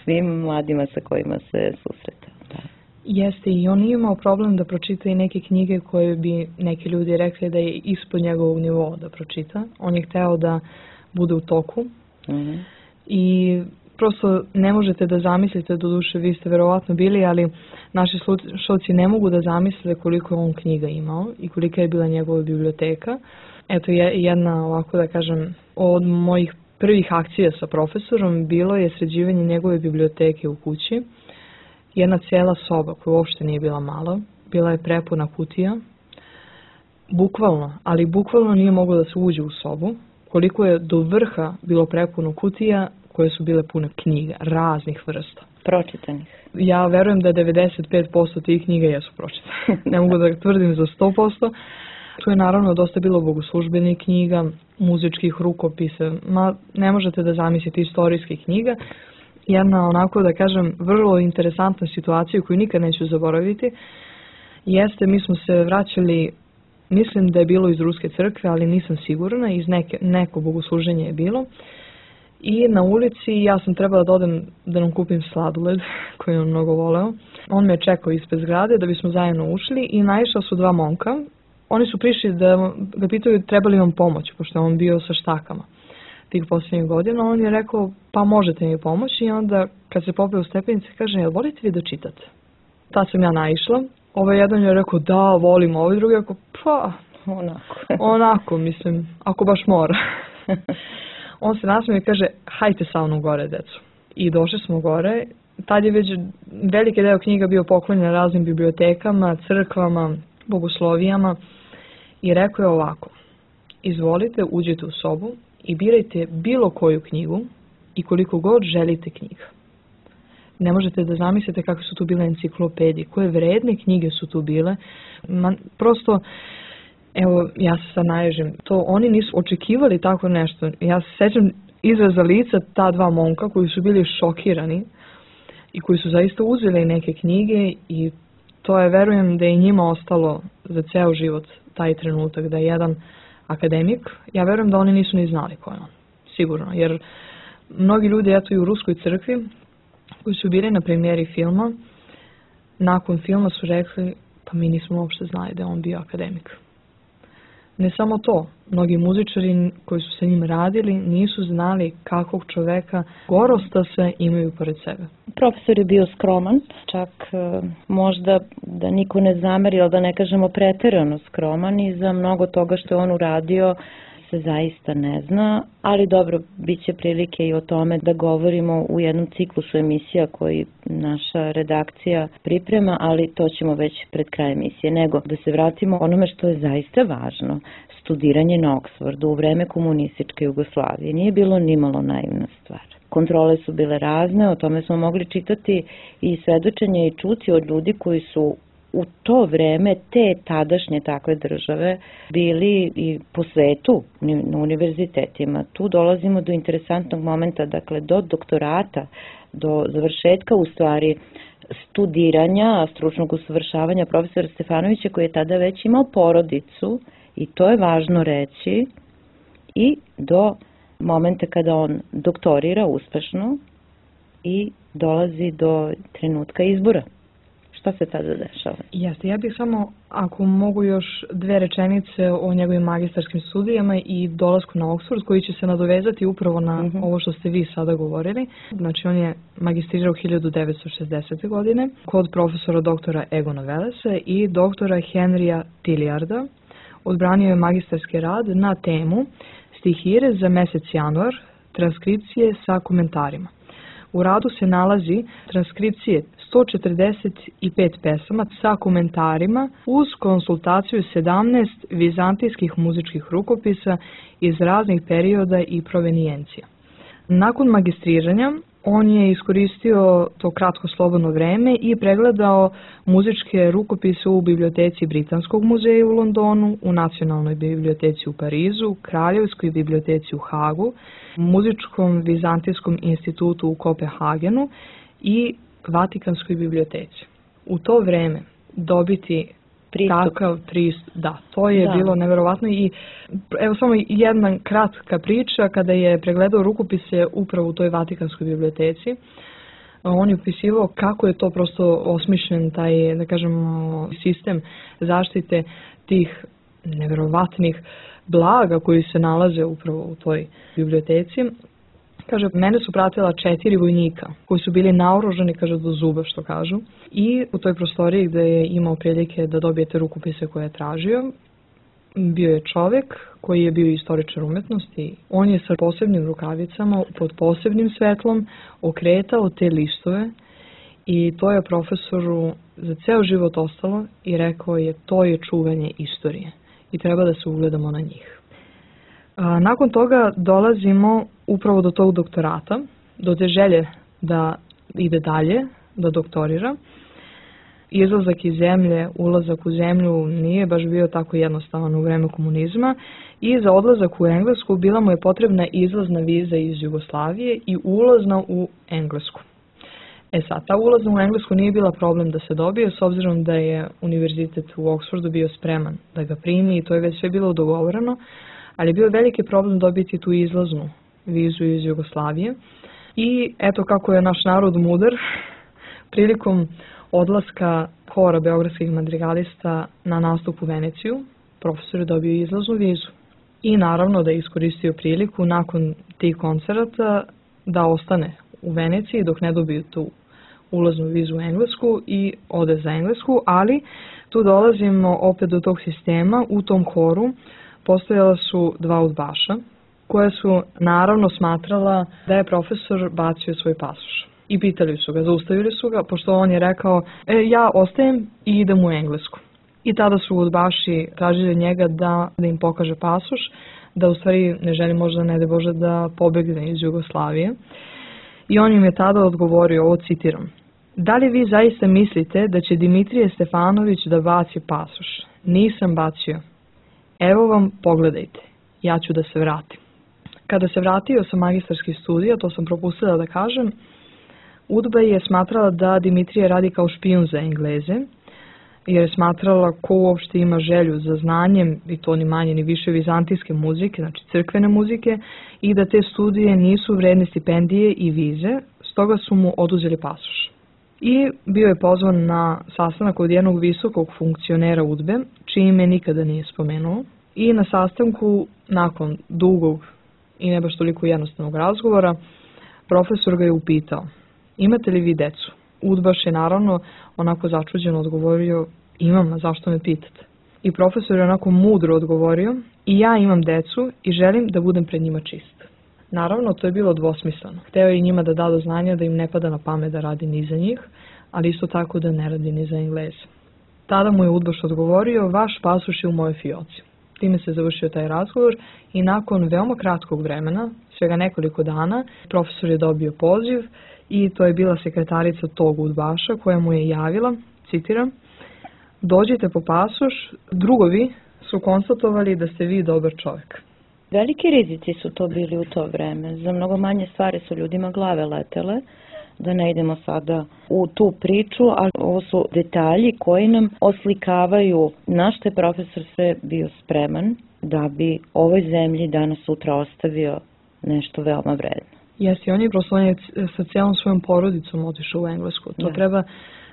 svim mladima sa kojima se susretao. Da. Jeste, i on nije imao problem da pročita i neke knjige koje bi neki ljudi rekli da je ispod njegovog nivoa da pročita. On je hteo da bude u toku. Mm-hmm. I prosto ne možete da zamislite, do duše vi ste verovatno bili, ali naši slušalci ne mogu da zamisle koliko je on knjiga imao i kolika je bila njegova biblioteka. Eto, jedna ovako da kažem, od mojih prvih akcija sa profesorom bilo je sređivanje njegove biblioteke u kući. Jedna cijela soba koja uopšte nije bila mala, bila je prepuna kutija. Bukvalno, ali bukvalno nije moglo da se uđe u sobu, koliko je do vrha bilo prepuno kutija koje su bile pune knjiga, raznih vrsta. Pročitanih. Ja verujem da devedeset pet posto tih knjiga jesu pročitane. Ne mogu da tvrdim za sto posto. Tu je naravno dosta bilo bogoslužbenih knjiga, muzičkih rukopisa, ma ne možete da zamislite istorijskih knjiga. Jedna onako da kažem vrlo interesantna situacija koju nikad neću zaboraviti jeste, mi smo se vraćali, mislim da je bilo iz Ruske crkve, ali nisam sigurna, iz neke, neko bogosluženje je bilo. I na ulici ja sam trebala da odem da nam kupim sladoled koji on mnogo voleo. On me čekao ispred zgrade da bismo zajedno ušli i naišla su dva momka. Oni su prišli da ga pitaju treba li vam pomoć, pošto je on bio sa štakama tih posljednjih godina. On je rekao pa možete mi pomoći i onda kad se popeo u stepenice kaže jel volite vi da čitate? Ta sam ja naišla. Ovaj jedan je rekao da volim, ovaj drugi je rekao pa onako, onako mislim, ako baš mora. On se nasmije i kaže hajte sa mnom gore decu. I došli smo gore. Tad je već veliki deo knjiga bio poklonjen raznim bibliotekama, crkvama, bogoslovijama i rekao je ovako, izvolite, uđite u sobu i birajte bilo koju knjigu i koliko god želite knjiga. Ne možete da zamislite kakve su tu bile enciklopedije, koje vredne knjige su tu bile. Man, prosto, evo, ja se sad naježim, to oni nisu očekivali tako nešto. Ja se sećam izraza lica ta dva momka koji su bili šokirani i koji su zaista uzeli neke knjige i to je, verujem, da je njima ostalo za ceo život taj trenutak, da je jedan akademik, ja verujem da oni nisu ni znali ko je on, sigurno, jer mnogi ljudi, eto i u Ruskoj crkvi, koji su bili na premijeri filma, nakon filma su rekli, pa mi nismo uopšte znali da je on bio akademik. Ne samo to, mnogi muzičari koji su sa njim radili nisu znali kakvog čoveka gorosta se imaju pored sebe. Profesor je bio skroman, čak možda da niko ne zameri, ali da ne kažemo preterano skroman i za mnogo toga što je on uradio se zaista ne zna, ali dobro, bit će prilike i o tome da govorimo u jednom ciklusu emisija koji naša redakcija priprema, ali to ćemo već pred kraj emisije. Nego da se vratimo onome što je zaista važno, studiranje na Oksfordu u vreme komunističke Jugoslavije nije bilo nimalo naivna stvar. Kontrole su bile razne, o tome smo mogli čitati i svedočenje i čuti od ljudi koji su u to vreme te tadašnje takve države bili i po svetu na univerzitetima. Tu dolazimo do interesantnog momenta, dakle do doktorata, do završetka u stvari studiranja, stručnog usavršavanja profesora Stefanovića, koji je tada već imao porodicu, i to je važno reći, i do momenta kada on doktorira uspešno i dolazi do trenutka izbora. Šta se tada dešava? Jeste, ja bih samo, ako mogu još dve rečenice o njegovim magistarskim studijama i dolasku na Oxford, koji će se nadovezati upravo na uh -huh. ovo što ste vi sada govorili. Znači, on je magistrirao hiljadu devetsto šezdesete. godine kod profesora doktora Egona Wellesa i doktora Henrya Tilliarda. Odbranio je magistarski rad na temu Stihire za mesec januar, transkripcije sa komentarima. U radu se nalazi transkripcije sto četrdeset pet pesama sa komentarima uz konsultaciju sedamnaest vizantijskih muzičkih rukopisa iz raznih perioda i provenijencija. Nakon magistriranja on je iskoristio to kratko slobodno vreme i pregledao muzičke rukopise u biblioteci Britanskog muzeja u Londonu, u Nacionalnoj biblioteci u Parizu, Kraljevskoj biblioteci u Hagu, Muzičkom vizantijskom institutu u Kopenhagenu i Vatikanskoj biblioteci. U to vreme dobiti pristup. Takav pristup, da, to je da. bilo neverovatno i evo samo jedna kratka priča, kada je pregledao rukopise upravo u toj Vatikanskoj biblioteci, on je opisivao kako je to prosto osmišljen taj, da kažemo, sistem zaštite tih neverovatnih blaga koji se nalaze upravo u toj biblioteci. Kaže, mene su pratila četiri vojnika koji su bili naoružani, kaže, do zuba, što kažu. I u toj prostoriji gde je imao prilike da dobijete rukopise koje je tražio, bio je čovek koji je bio istoričar umetnosti. On je sa posebnim rukavicama, pod posebnim svetlom, okretao te listove i to je profesoru za ceo život ostalo i rekao je, to je čuvanje istorije i treba da se ugledamo na njih. A, nakon toga dolazimo upravo do tog doktorata, do te želje da ide dalje, da doktorira. Izlazak iz zemlje, ulazak u zemlju nije baš bio tako jednostavan u vreme komunizma i za odlazak u Englesku bila mu je potrebna izlazna viza iz Jugoslavije i ulazna u Englesku. E sad, ta ulazna u Englesku nije bila problem da se dobije, s obzirom da je univerzitet u Oxfordu bio spreman da ga primi i to je već sve bilo dogovoreno, ali je bio veliki problem dobiti tu izlaznu vizu iz Jugoslavije. I eto kako je naš narod mudar, prilikom odlaska hora beogradskih madrigalista na nastup u Veneciju, profesor je dobio izlaznu vizu. I naravno da je iskoristio priliku nakon tih koncerata da ostane u Veneciji dok ne dobiju tu ulaznu vizu u Englesku i ode za Englesku, ali tu dolazimo opet do tog sistema. U tom horu postojala su dva udbaša koja su naravno smatrala da je profesor bacio svoj pasoš. I pitali su ga, zaustavili su ga, pošto on je rekao, e, ja ostajem i idem u Englesku. I tada su udbaši tražili od njega da, da im pokaže pasoš, da u stvari ne želi možda, ne de Bože, da pobegne iz Jugoslavije. I on im je tada odgovorio, ovo citiram, da li vi zaista mislite da će Dimitrije Stefanović da baci pasoš? Nisam bacio. Evo vam, pogledajte, ja ću da se vratim. Kada se vratio sa magistarskih studija, to sam propustila da kažem, UDBA je smatrala da Dimitrije radi kao špijun za Engleze, jer je smatrala ko uopšte ima želju za znanjem, i to ni manje ni više vizantijske muzike, znači crkvene muzike, i da te studije nisu vredne stipendije i vize, stoga su mu oduzeli pasoš. I bio je pozvan na sastanak od jednog visokog funkcionera UDBE, čije ime nikada nije spomenuo, i na sastanku, nakon dugog i ne baš toliko jednostavnog razgovora, profesor ga je upitao, imate li vi decu? Udbaš je naravno onako začuđeno odgovorio, imam, a zašto me pitate? I profesor je onako mudro odgovorio, i ja imam decu i želim da budem pred njima čist. Naravno, to je bilo dvosmisleno. Hteo je i njima da da do znanja da im ne pada na pamet da radi ni za njih, ali isto tako da ne radi ni za Engleze. Tada mu je udbaš odgovorio, vaš pasoš je u mojoj fioci. Time se završio taj razgovor i nakon veoma kratkog vremena, svega nekoliko dana, profesor je dobio poziv i to je bila sekretarica tog udbaša koja mu je javila, citiram, dođite po pasoš, drugovi su konstatovali da ste vi dobar čovjek. Veliki rizici su to bili u to vreme. Za mnogo manje stvari su ljudima glave letele. da ne idemo sada u tu priču, ali ovo su detalji koji nam oslikavaju na što je profesor sve bio spreman da bi ovoj zemlji danas sutra ostavio nešto veoma vredno. Jesi, on je prosto on je sa cijelom svojom porodicom otišao u Englesku. To da. Treba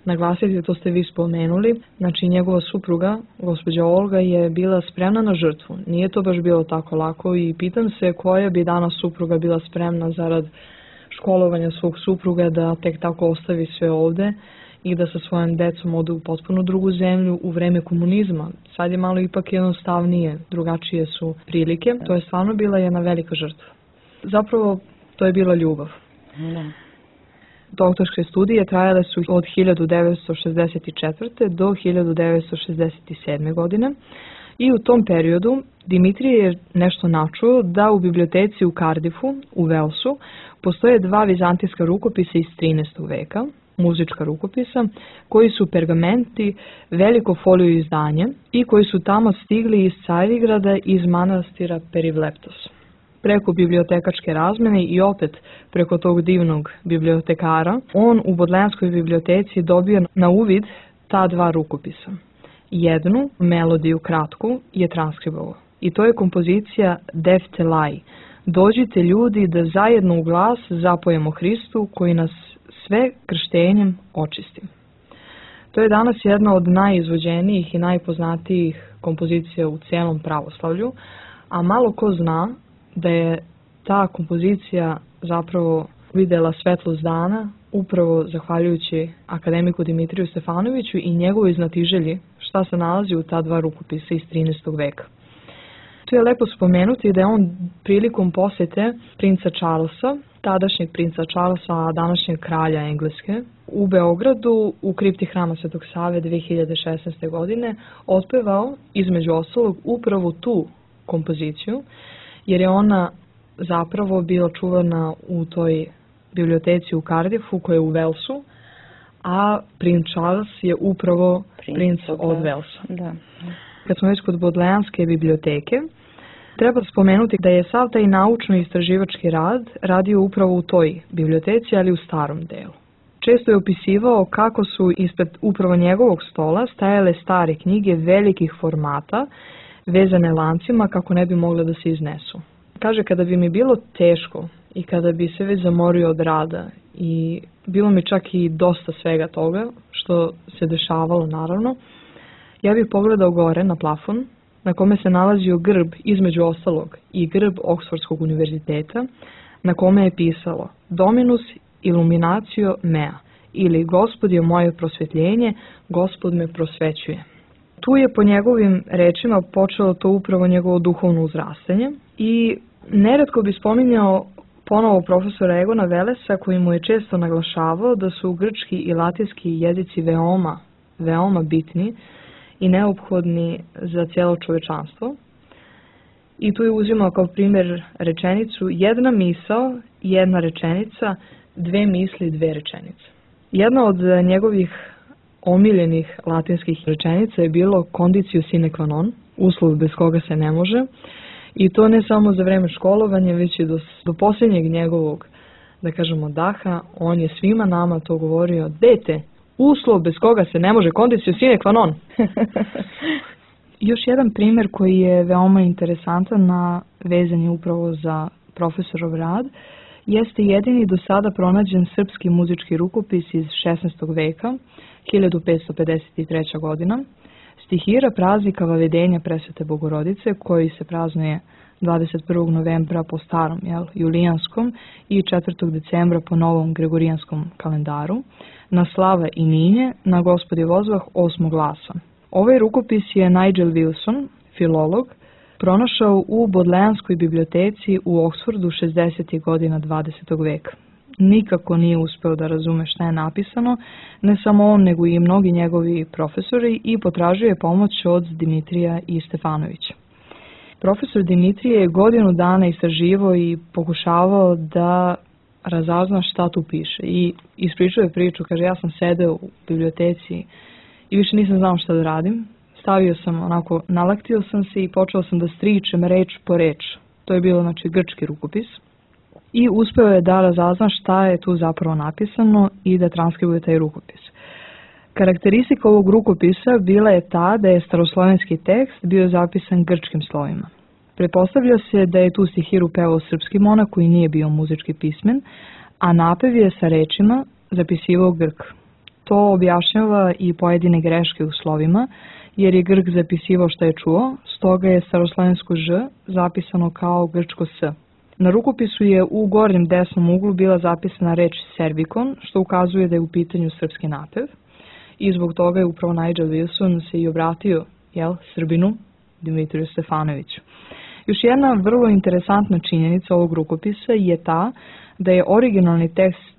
naglasiti, to ste vi spomenuli. Znači, njegova supruga, gospođa Olga, je bila spremna na žrtvu. Nije to baš bilo tako lako i pitam se koja bi danas supruga bila spremna zarad školovanja svog supruga da tek tako ostavi sve ovde i da sa svojom decom ode u potpuno drugu zemlju u vreme komunizma. Sad je malo ipak jednostavnije, drugačije su prilike. To je stvarno bila jedna velika žrtva. Zapravo, to je bila ljubav. Da. Doktorske studije trajale su od hiljadu devetsto šezdeset četvrte. do hiljadu devetsto šezdeset sedme. godine i u tom periodu Dimitrije je nešto načuo da u biblioteci u Cardiffu, u Walesu, postoje dva vizantijska rukopisa iz trinaestog veka, muzička rukopisa, koji su pergamenti, veliko folio izdanje i koji su tamo stigli iz Carigrada iz manastira Perivleptos. Preko bibliotekačke razmene i opet preko tog divnog bibliotekara, on u Bodleianskoj biblioteci dobio na uvid ta dva rukopisa. Jednu, melodiju kratku, je transkribovao. I to je kompozicija Deftelai. Dođite ljudi da zajedno u glas zapojemo Hristu koji nas sve krštenjem očisti. To je danas jedna od najizvođenijih i najpoznatijih kompozicija u cijelom pravoslavlju, a malo ko zna da je ta kompozicija zapravo videla svetlost dana upravo zahvaljujući akademiku Dimitriju Stefanoviću i njegovoj znatiželji šta se nalazi u ta dva rukopisa iz trinaestog veka. Tu je lepo spomenuti da je on prilikom posete princa Charlesa, tadašnjeg princa Charlesa, a današnjeg kralja Engleske, u Beogradu u kripti Hrama Svetog Save dve hiljade šesnaeste. godine otpevao između ostalog upravo tu kompoziciju, jer je ona zapravo bila čuvana u toj biblioteci u Cardiffu koja je u Walesu, a princ Charles je upravo princ, princ od Walesa. Da. Kad smo već kod Bodleianske biblioteke, treba spomenuti da je sav taj naučno-istraživački rad radio upravo u toj biblioteci, ali u starom delu. Često je opisivao kako su ispred upravo njegovog stola stajale stare knjige velikih formata, vezane lancima kako ne bi mogle da se iznesu. Kaže, kada bi mi bilo teško i kada bi se već zamorio od rada i bilo mi čak i dosta svega toga što se dešavalo naravno, ja bih pogledao gore na plafon na kome se nalazio grb između ostalog i grb Oxfordskog univerziteta na kome je pisalo Dominus illuminatio mea ili Gospod je moje prosvetljenje, Gospod me prosvećuje. Tu je po njegovim rečima počelo to upravo njegovo duhovno uzrastanje i neretko bi spominjao ponovo profesora Egona Velesa koji mu je često naglašavao da su grčki i latinski jezici veoma, veoma bitni i neophodni za cijelo čovečanstvo. I tu je uzimao kao primjer rečenicu jedna misao, jedna rečenica, dve misli, dve rečenice. Jedna od njegovih omiljenih latinskih rečenica je bilo conditio sine qua non, uslov bez koga se ne može, i to ne samo za vreme školovanja, već i do, do posljednjeg njegovog, da kažemo, daha. On je svima nama to govorio, dete, uslov bez koga se ne može, conditio sine qua non. Još jedan primjer koji je veoma interesantan na vezanje upravo za profesorov rad, jeste jedini do sada pronađen srpski muzički rukopis iz šesnaestog veka, hiljadu petsto pedeset treća. godina, stihira praznika Vavedenja Presvete Bogorodice, koji se praznuje dvadeset prvog novembra po starom, jel, julijanskom i četvrtog decembra po novom gregorijanskom kalendaru, na slava i ninje, na Gospodi vozvah osmog glasa. Ovaj rukopis je Nigel Wilson, filolog, pronašao u Bodleianskoj biblioteci u Oxfordu šezdesetih godina dvadesetog veka. Nikako nije uspeo da razume šta je napisano, ne samo on, nego i mnogi njegovi profesori, i potražio je pomoć od Dimitrija i Stefanovića. Profesor Dimitrije je godinu dana istraživao i pokušavao da razazna šta tu piše. I ispričao je priču, kaže, ja sam sedeo u biblioteci i više nisam znao šta da radim. Stavio sam, onako, nalaktio sam se i počeo sam da stričem reč po reč. To je bilo, znači, grčki rukopis. i uspeo je da razazna šta je tu zapravo napisano i da transkribuje taj rukopis. Karakteristika ovog rukopisa bila je ta da je staroslovenski tekst bio zapisan grčkim slovima. Pretpostavlja se da je tu stihiru pevao srpski monah koji nije bio muzički pismen, a napev je sa rečima zapisivao Grk. To objašnjava i pojedine greške u slovima, jer je Grk zapisivao što je čuo, stoga je staroslovensko ž zapisano kao grčko s. Na rukopisu je u gornjem desnom uglu bila zapisana reč servikon, što ukazuje da je u pitanju srpski napev. I zbog toga je upravo Nigel Wilson se i obratio, jel, Srbinu, Dimitriju Stefanoviću. Još jedna vrlo interesantna činjenica ovog rukopisa je ta da je originalni tekst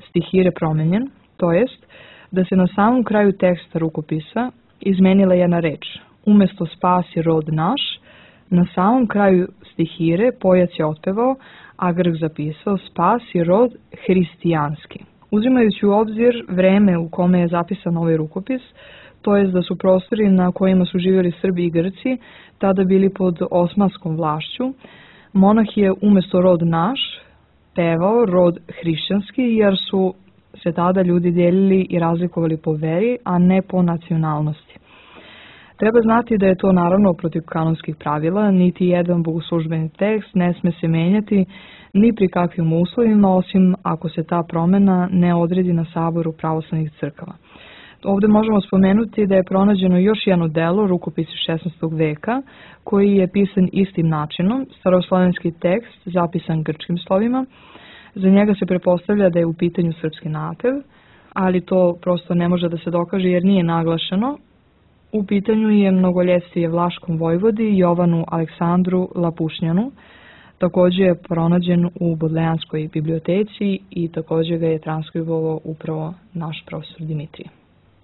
stihire promenjen, to jest da se na samom kraju teksta rukopisa izmenila jedna reč. Umesto spasi rod naš, na samom kraju stihire pojac je otpevao, a Grk zapisao spasi rod hristijanski. Uzimajući u obzir vreme u kome je zapisan ovaj rukopis, to jest da su prostori na kojima su živjeli Srbi i Grci tada bili pod osmanskom vlašću, monah je umesto rod naš pevao rod hrišćanski, jer su se tada ljudi dijelili i razlikovali po veri, a ne po nacionalnosti. Treba znati da je to naravno protiv kanonskih pravila, niti jedan bogoslužbeni tekst ne sme se menjati ni pri kakvim uslovima, osim ako se ta promjena ne odredi na saboru pravoslavnih crkava. Ovdje možemo spomenuti da je pronađeno još jedno delo, rukopis iz šesnaestog veka, koji je pisan istim načinom, staroslovenski tekst zapisan grčkim slovima. Za njega se pretpostavlja da je u pitanju srpski napev, ali to prosto ne može da se dokaže jer nije naglašeno. U pitanju je mnogoljestije Vlaškom vojvodi Jovanu Aleksandru Lapušnjanu. Također je pronađen u Bodlejanskoj biblioteci i također ga je transkribovao upravo naš profesor Dimitrije.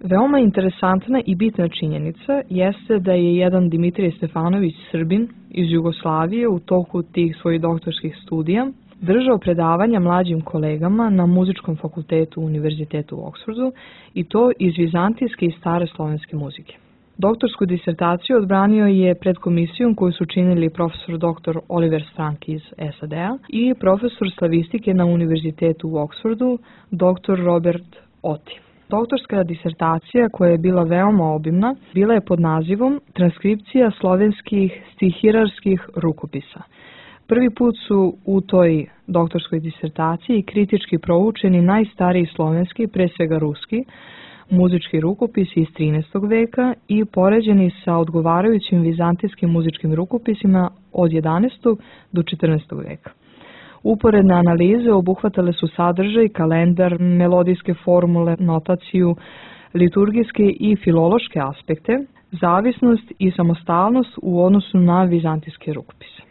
Veoma interesantna i bitna činjenica jeste da je jedan Dimitrije Stefanović, Srbin iz Jugoslavije, u toku tih svojih doktorskih studija držao predavanja mlađim kolegama na muzičkom fakultetu Univerzitetu u Oksfordu, i to iz vizantijske i stare slovenske muzike. Doktorsku disertaciju odbranio je pred komisijom koju su činili profesor doktor Oliver Strank iz S A D-a i profesor slavistike na Univerzitetu u Oksfordu, doktor Robert Oti. Doktorska disertacija, koja je bila veoma obimna, bila je pod nazivom Transkripcija slovenskih stihirarskih rukopisa. Prvi put su u toj doktorskoj disertaciji kritički proučeni najstariji slovenski, pre svega ruski, muzički rukopisi iz trinaestog veka i poređeni sa odgovarajućim vizantijskim muzičkim rukopisima od jedanaestog do četrnaestog veka. Uporedne analize obuhvatale su sadržaj, kalendar, melodijske formule, notaciju, liturgijske i filološke aspekte, zavisnost i samostalnost u odnosu na vizantijske rukopise.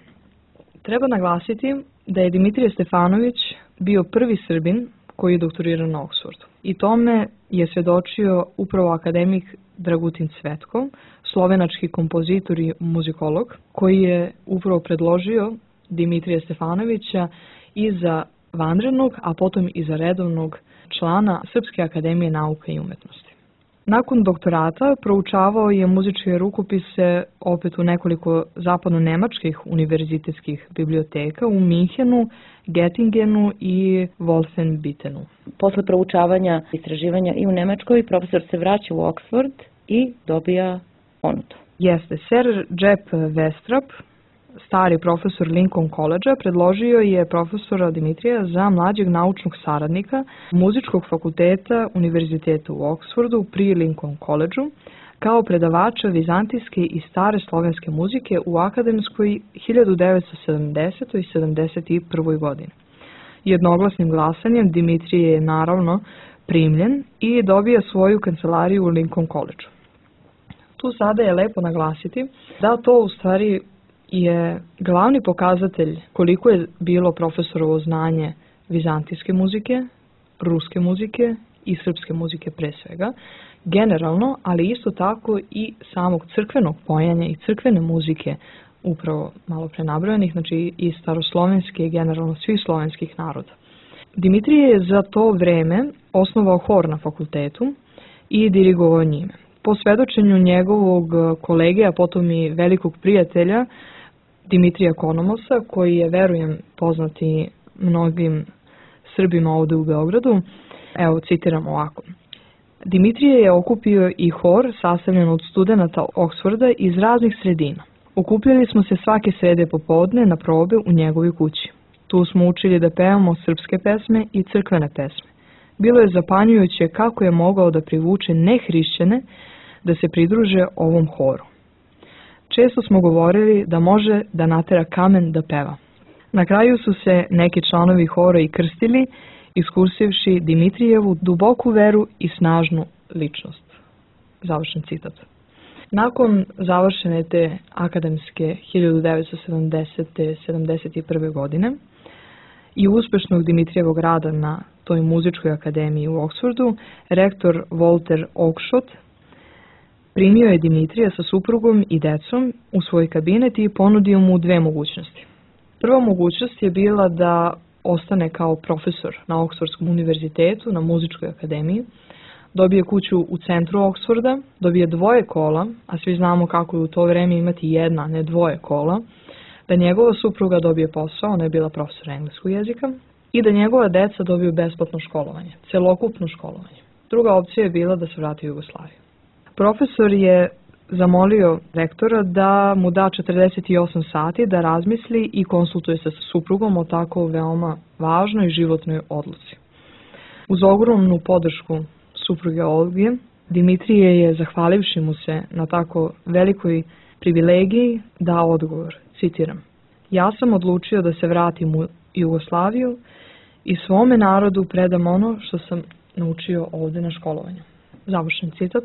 Treba naglasiti da je Dimitrije Stefanović bio prvi Srbin koji je doktorirao na Oksfordu. I tome je svjedočio upravo akademik Dragutin Cvetko, slovenački kompozitor i muzikolog, koji je upravo predložio Dimitrija Stefanovića i za vanrednog, a potom i za redovnog člana Srpske akademije nauka i umetnosti. Nakon doktorata proučavao je muzičke rukopise opet u nekoliko zapadno-nemačkih univerzitetskih biblioteka u Minhenu, Göttingenu i Wolfenbittenu. Posle proučavanja istraživanja i u Nemačkoj, profesor se vraća u Oxford i dobija ponudu. Jeste, Sir Jep Westrap, stari profesor Lincoln College-a, predložio je profesora Dimitrija za mlađeg naučnog saradnika muzičkog fakulteta Univerziteta u Oksfordu pri Lincoln College-u kao predavača vizantijske i stare slovenske muzike u akademskoj hiljadu devetsto sedamdesetoj i sedamdeset prvoj godini. Jednoglasnim glasanjem Dimitrije je naravno primljen i dobija svoju kancelariju u Lincoln College-u. Tu sada je lepo naglasiti da to u stvari je glavni pokazatelj koliko je bilo profesorovo znanje vizantijske muzike, ruske muzike i srpske muzike pre svega, generalno, ali isto tako i samog crkvenog pojanja i crkvene muzike, upravo malo pre nabrojenih, znači i staroslovenske i generalno svih slovenskih naroda. Dimitrije je za to vreme osnovao hor na fakultetu i dirigovao njime. Po svedočenju njegovog kolege, a potom i velikog prijatelja, Dimitrija Konomosa, koji je, verujem, poznati mnogim Srbima ovde u Beogradu. Evo, citiram ovako. Dimitrije je okupio i hor sastavljen od studenata Oksforda iz raznih sredina. Okupljali smo se svake srede popodne na probe u njegovoj kući. Tu smo učili da pevamo srpske pesme i crkvene pesme. Bilo je zapanjujuće kako je mogao da privuče nehrišćane da se pridruže ovom horu. Često smo govorili da može da natera kamen da peva. Na kraju su se neki članovi hora i krstili, iskusivši Dimitrijevu duboku veru i snažnu ličnost. Završen citat. Nakon završene te akademske hiljadu devetsto sedamdesete sedamdeset prve. godine i uspešnog Dimitrijevog rada na toj muzičkoj akademiji u Oksfordu, rektor Walter Oakeshott primio je Dimitrija sa suprugom i decom u svoj kabinet i ponudio mu dve mogućnosti. Prva mogućnost je bila da ostane kao profesor na Oksfordskom univerzitetu, na muzičkoj akademiji, dobije kuću u centru Oksforda, dobije dvoje kola, a svi znamo kako je u to vreme imati jedna, ne dvoje kola, da njegova supruga dobije posao, ona je bila profesor engleskog jezika, i da njegova deca dobiju besplatno školovanje, celokupno školovanje. Druga opcija je bila da se vrati u Jugoslaviju. Profesor je zamolio rektora da mu da četrdeset osam sati da razmisli i konsultuje se sa suprugom o tako veoma važnoj životnoj odluci. Uz ogromnu podršku supruge Olge, Dimitrije je, zahvalivši mu se na tako velikoj privilegiji, dao odgovor, citiram: ja sam odlučio da se vratim u Jugoslaviju i svome narodu predam ono što sam naučio ovde na školovanju. Završen citat.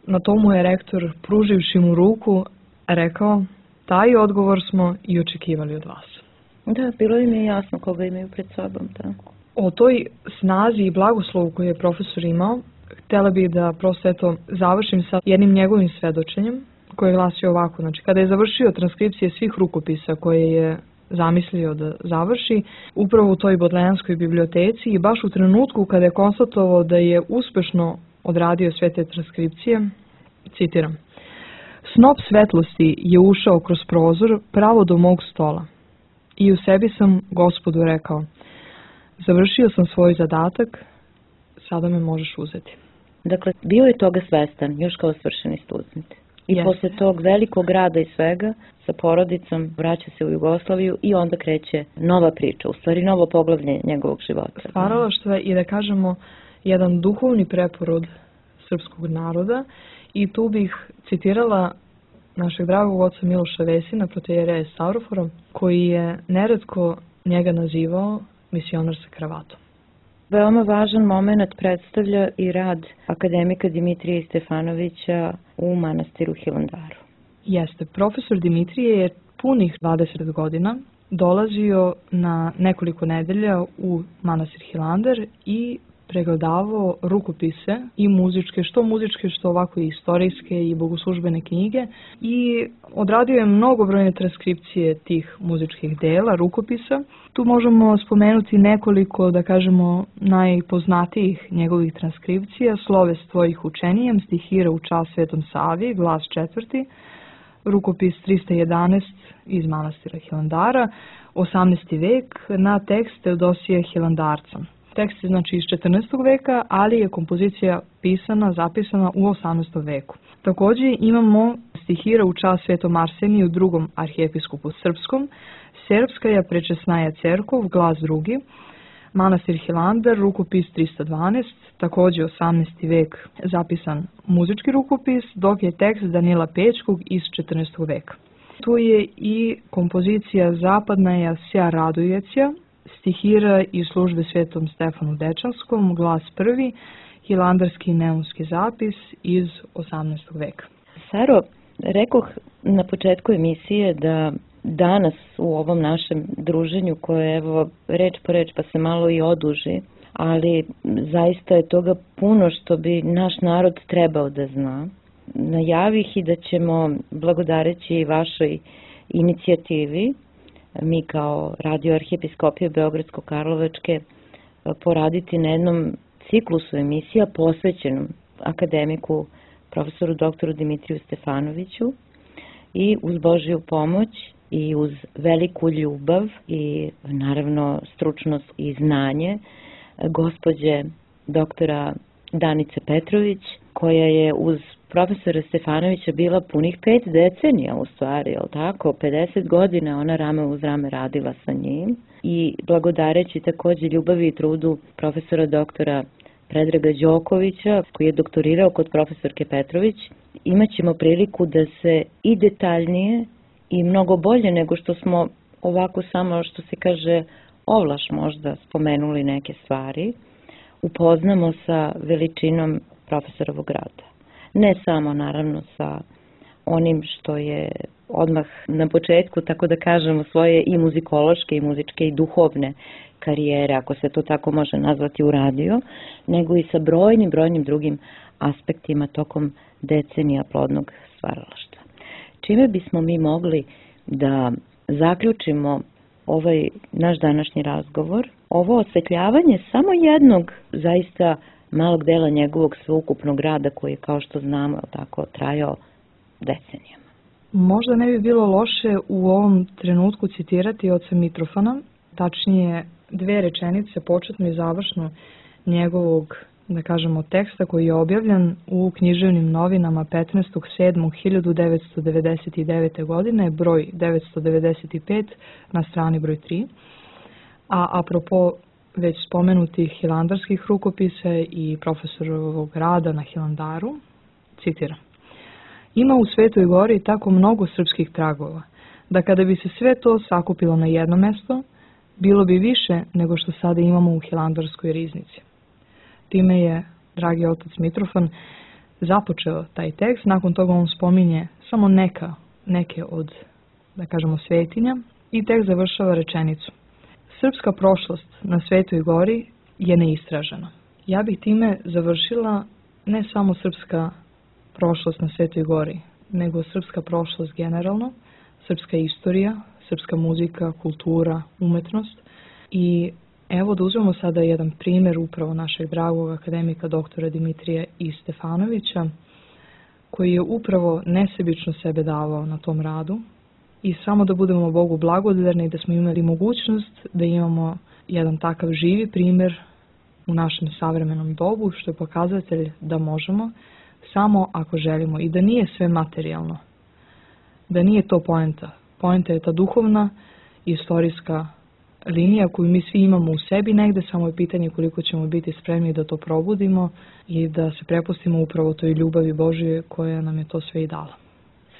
Na tomu je rektor, pruživši mu ruku, rekao: taj odgovor smo i očekivali od vas. Da, bilo im je jasno koga imaju pred sobom. Da. O toj snazi i blagoslovu koju je profesor imao, htjela bih da prosto eto završim sa jednim njegovim svedočenjem koje glasi ovako. Znači, kada je završio transkripcije svih rukopisa koje je zamislio da završi, upravo u toj bodlejanskoj biblioteci i baš u trenutku kada je konstatovao da je uspešno odradio sve te transkripcije, citiram: snop svetlosti je ušao kroz prozor pravo do mog stola i u sebi sam Gospodu rekao: završio sam svoj zadatak, sada me možeš uzeti. Dakle, bio je toga svestan, još kao svršeni student. I yes. Posle tog velikog rada i svega, sa porodicom, vraća se u Jugoslaviju i onda kreće nova priča, u stvari novo poglavlje njegovog života. Stvaralaštvo je, i da kažemo, jedan duhovni preporod srpskog naroda, i tu bih citirala našeg dragog oca Miloša Vesina, protoijereja Stavrofora, koji je neretko njega nazivao misionar sa kravatom. Veoma važan moment predstavlja i rad akademika Dimitrija Stefanovića u manastiru Hilandaru. Jeste, profesor Dimitrije je punih dvadeset godina dolazio na nekoliko nedelja u manastir Hilandar i pregledavao rukopise i muzičke, što muzičke, što ovako i istorijske i bogoslužbene knjige, i odradio je mnogobrojne transkripcije tih muzičkih dela, rukopisa. Tu možemo spomenuti nekoliko, da kažemo, najpoznatijih njegovih transkripcija: Slovest tvojih učenijem, stihira u čast Svetom Savi, glas četvrti, rukopis trista jedanaest iz manastira Hilandara, osamnaesti vek, na tekst Teodosija Hilandarca. Tekst je znači iz četrnaestog veka, ali je kompozicija pisana, zapisana u osamnaestom veku. Također imamo stihira u čast Svetom Arseniju, drugom arhijepiskupu srpskom, Serbskaja prečesnaja cerkov, glas drugi, manastir Hilandar, rukopis trista dvanaest, također osamnaesti vek zapisan muzički rukopis, dok je tekst Danila Pečkog iz četrnaestog veka. Tu je i kompozicija Zapadnaja sja radujecija, stihira iz službe Svetom Stefanu Dečanskom, glas prvi, hilandarski neumski zapis iz osamnaestog veka. Saro, rekoh na početku emisije da danas u ovom našem druženju, koje evo reč po reč pa se malo i oduži, ali zaista je toga puno što bi naš narod trebao da zna. Najavih i da ćemo, blagodareći vašoj inicijativi, mi kao Radio Arhijepiskopije Beogradsko-Karlovačke, poraditi na jednom ciklusu emisija posvećenom akademiku profesoru doktoru Dimitriju Stefanoviću, i uz Božju pomoć i uz veliku ljubav i naravno stručnost i znanje gospođe doktora Danice Petrović, koja je uz profesora Stefanovića bila punih pet decenija u stvari, jel tako? pedeset godina ona rame uz rame radila sa njim i blagodareći takođe ljubavi i trudu profesora doktora Predraga Đokovića, koji je doktorirao kod profesorke Petrović, imaćemo priliku da se i detaljnije i mnogo bolje nego što smo ovako samo, što se kaže, ovlaš možda spomenuli neke stvari, upoznamo sa veličinom profesorovog rada. Ne samo naravno sa onim što je odmah na početku, tako da kažemo, svoje i muzikološke i muzičke i duhovne karijere, ako se to tako može nazvati, u radio, nego i sa brojnim, brojnim drugim aspektima tokom decenija plodnog stvaralaštva. Čime bismo mi mogli da zaključimo ovaj naš današnji razgovor, ovo osvetljavanje samo jednog zaista malog dela njegovog sveukupnog rada koji je, kao što znamo, tako trajao decenijama. Možda ne bi bilo loše u ovom trenutku citirati oca Mitrofana, tačnije dve rečenice, početno i završno njegovog, da kažemo, teksta koji je objavljen u književnim novinama petnaestog sedmog hiljadu devetsto devedeset devete. godine, broj devetsto devedeset pet na strani broj tri. A apropo već spomenutih hilandarskih rukopisa i profesorovog rada na Hilandaru, citiram: "Ima u Svetoj Gori tako mnogo srpskih tragova, da kada bi se sve to sakupilo na jedno mesto, bilo bi više nego što sada imamo u Hilandarskoj riznici." Time je, dragi otac Mitrofan, započeo taj tekst. Nakon toga on spominje samo neka, neke od, da kažemo, svetinja i tekst završava rečenicu: "Srpska prošlost na Svetoj Gori je neistražena." Ja bih time završila ne samo srpska prošlost na Svetoj Gori, nego srpska prošlost generalno, srpska istorija, srpska muzika, kultura, umetnost. I evo da uzmemo sada jedan primjer upravo našeg dragog akademika doktora Dimitrija I. Stefanovića, koji je upravo nesebično sebe davao na tom radu. I samo da budemo Bogu blagodarni da smo imali mogućnost da imamo jedan takav živi primjer u našem savremenom dobu, što je pokazatelj da možemo, samo ako želimo, i da nije sve materijalno, da nije to poenta. Poenta je ta duhovna i istorijska linija koju mi svi imamo u sebi negde, samo je pitanje koliko ćemo biti spremni da to probudimo i da se prepustimo upravo toj ljubavi Božje koja nam je to sve i dala.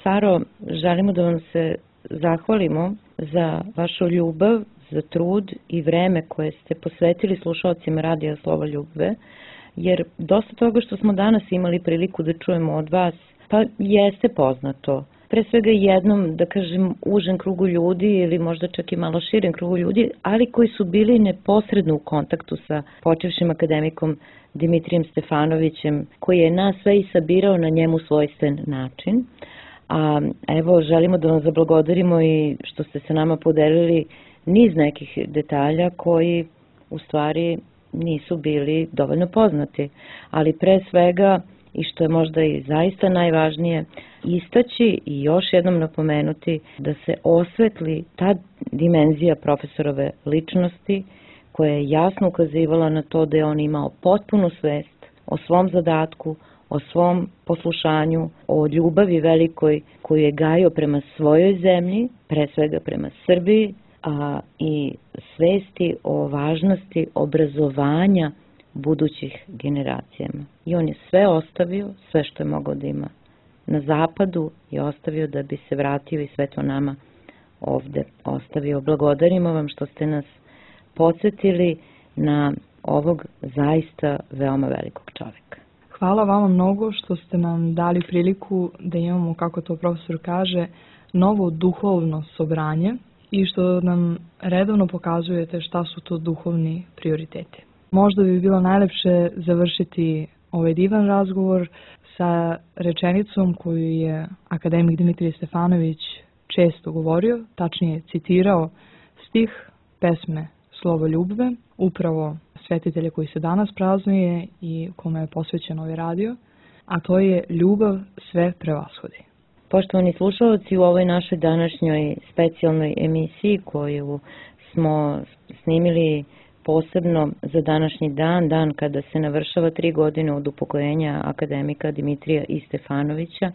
Saro, želimo da vam se zahvalimo za vašu ljubav, za trud i vreme koje ste posvetili slušalcima Radija Slovo Ljubve, jer dosta toga što smo danas imali priliku da čujemo od vas, pa jeste poznato. Pre svega jednom, da kažem, užem krugu ljudi ili možda čak i malo širem krugu ljudi, ali koji su bili neposredno u kontaktu sa počevšim akademikom Dimitrijem Stefanovićem, koji je nas sve i sabirao na njemu svojstven način. A evo, želimo da vam zablagodarimo i što ste sa nama podelili niz nekih detalja koji u stvari nisu bili dovoljno poznati, ali pre svega, i što je možda i zaista najvažnije, istaći i još jednom napomenuti da se osvetli ta dimenzija profesorove ličnosti koja je jasno ukazivala na to da je on imao potpunu svest o svom zadatku, o svom poslušanju, o ljubavi velikoj koju je gajio prema svojoj zemlji, pre svega prema Srbiji, a i svesti o važnosti obrazovanja budućih generacijama. I on je sve ostavio, sve što je mogao da ima na zapadu je ostavio da bi se vratio i sve to nama ovde ostavio. Blagodarimo vam što ste nas podsjetili na ovog zaista veoma velikog čovjeka. Hvala vama mnogo što ste nam dali priliku da imamo, kako to profesor kaže, novo duhovno sobranje i što nam redovno pokazujete šta su to duhovni prioriteti. Možda bi bilo najlepše završiti ovaj divan razgovor sa rečenicom koju je akademik Dimitrije Stefanović često govorio, tačnije citirao stih pesme Slovo Ljubve, upravo svetitelje koji se danas praznuje i kome je posvećen ovaj radio, a to je: ljubav sve prevashodi. Poštovani slušalci, u ovoj našoj današnjoj specijalnoj emisiji koju smo snimili posebno za današnji dan, dan kada se navršava tri godine od upokojenja akademika Dimitrija I. Stefanovića,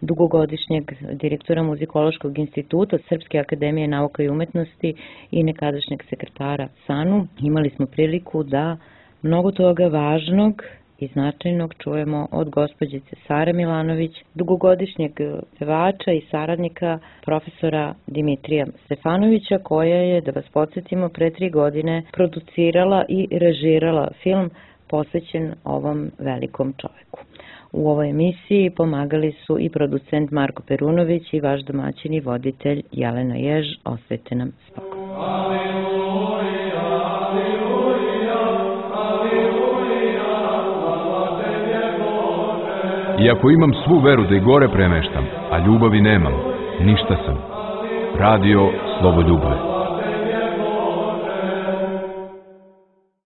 dugogodišnjeg direktora Muzikološkog instituta Srpske akademije nauka i umetnosti i nekadašnjeg sekretara SANU, imali smo priliku da mnogo toga važnog i značajnog čujemo od gospođice Sare Milanović, dugogodišnjeg pevača i saradnika profesora Dimitrija Stefanovića, koja je, da vas podsjetimo, pre tri godine producirala i režirala film posvećen ovom velikom čoveku. U ovoj emisiji pomagali su i producent Marko Perunović i vaš domaćin i voditelj Jelena Jež. Ostajte nam spokojno. Iako imam svu veru da i gore premeštam, a ljubavi nemam, ništa sam. Radio Slovoljubve.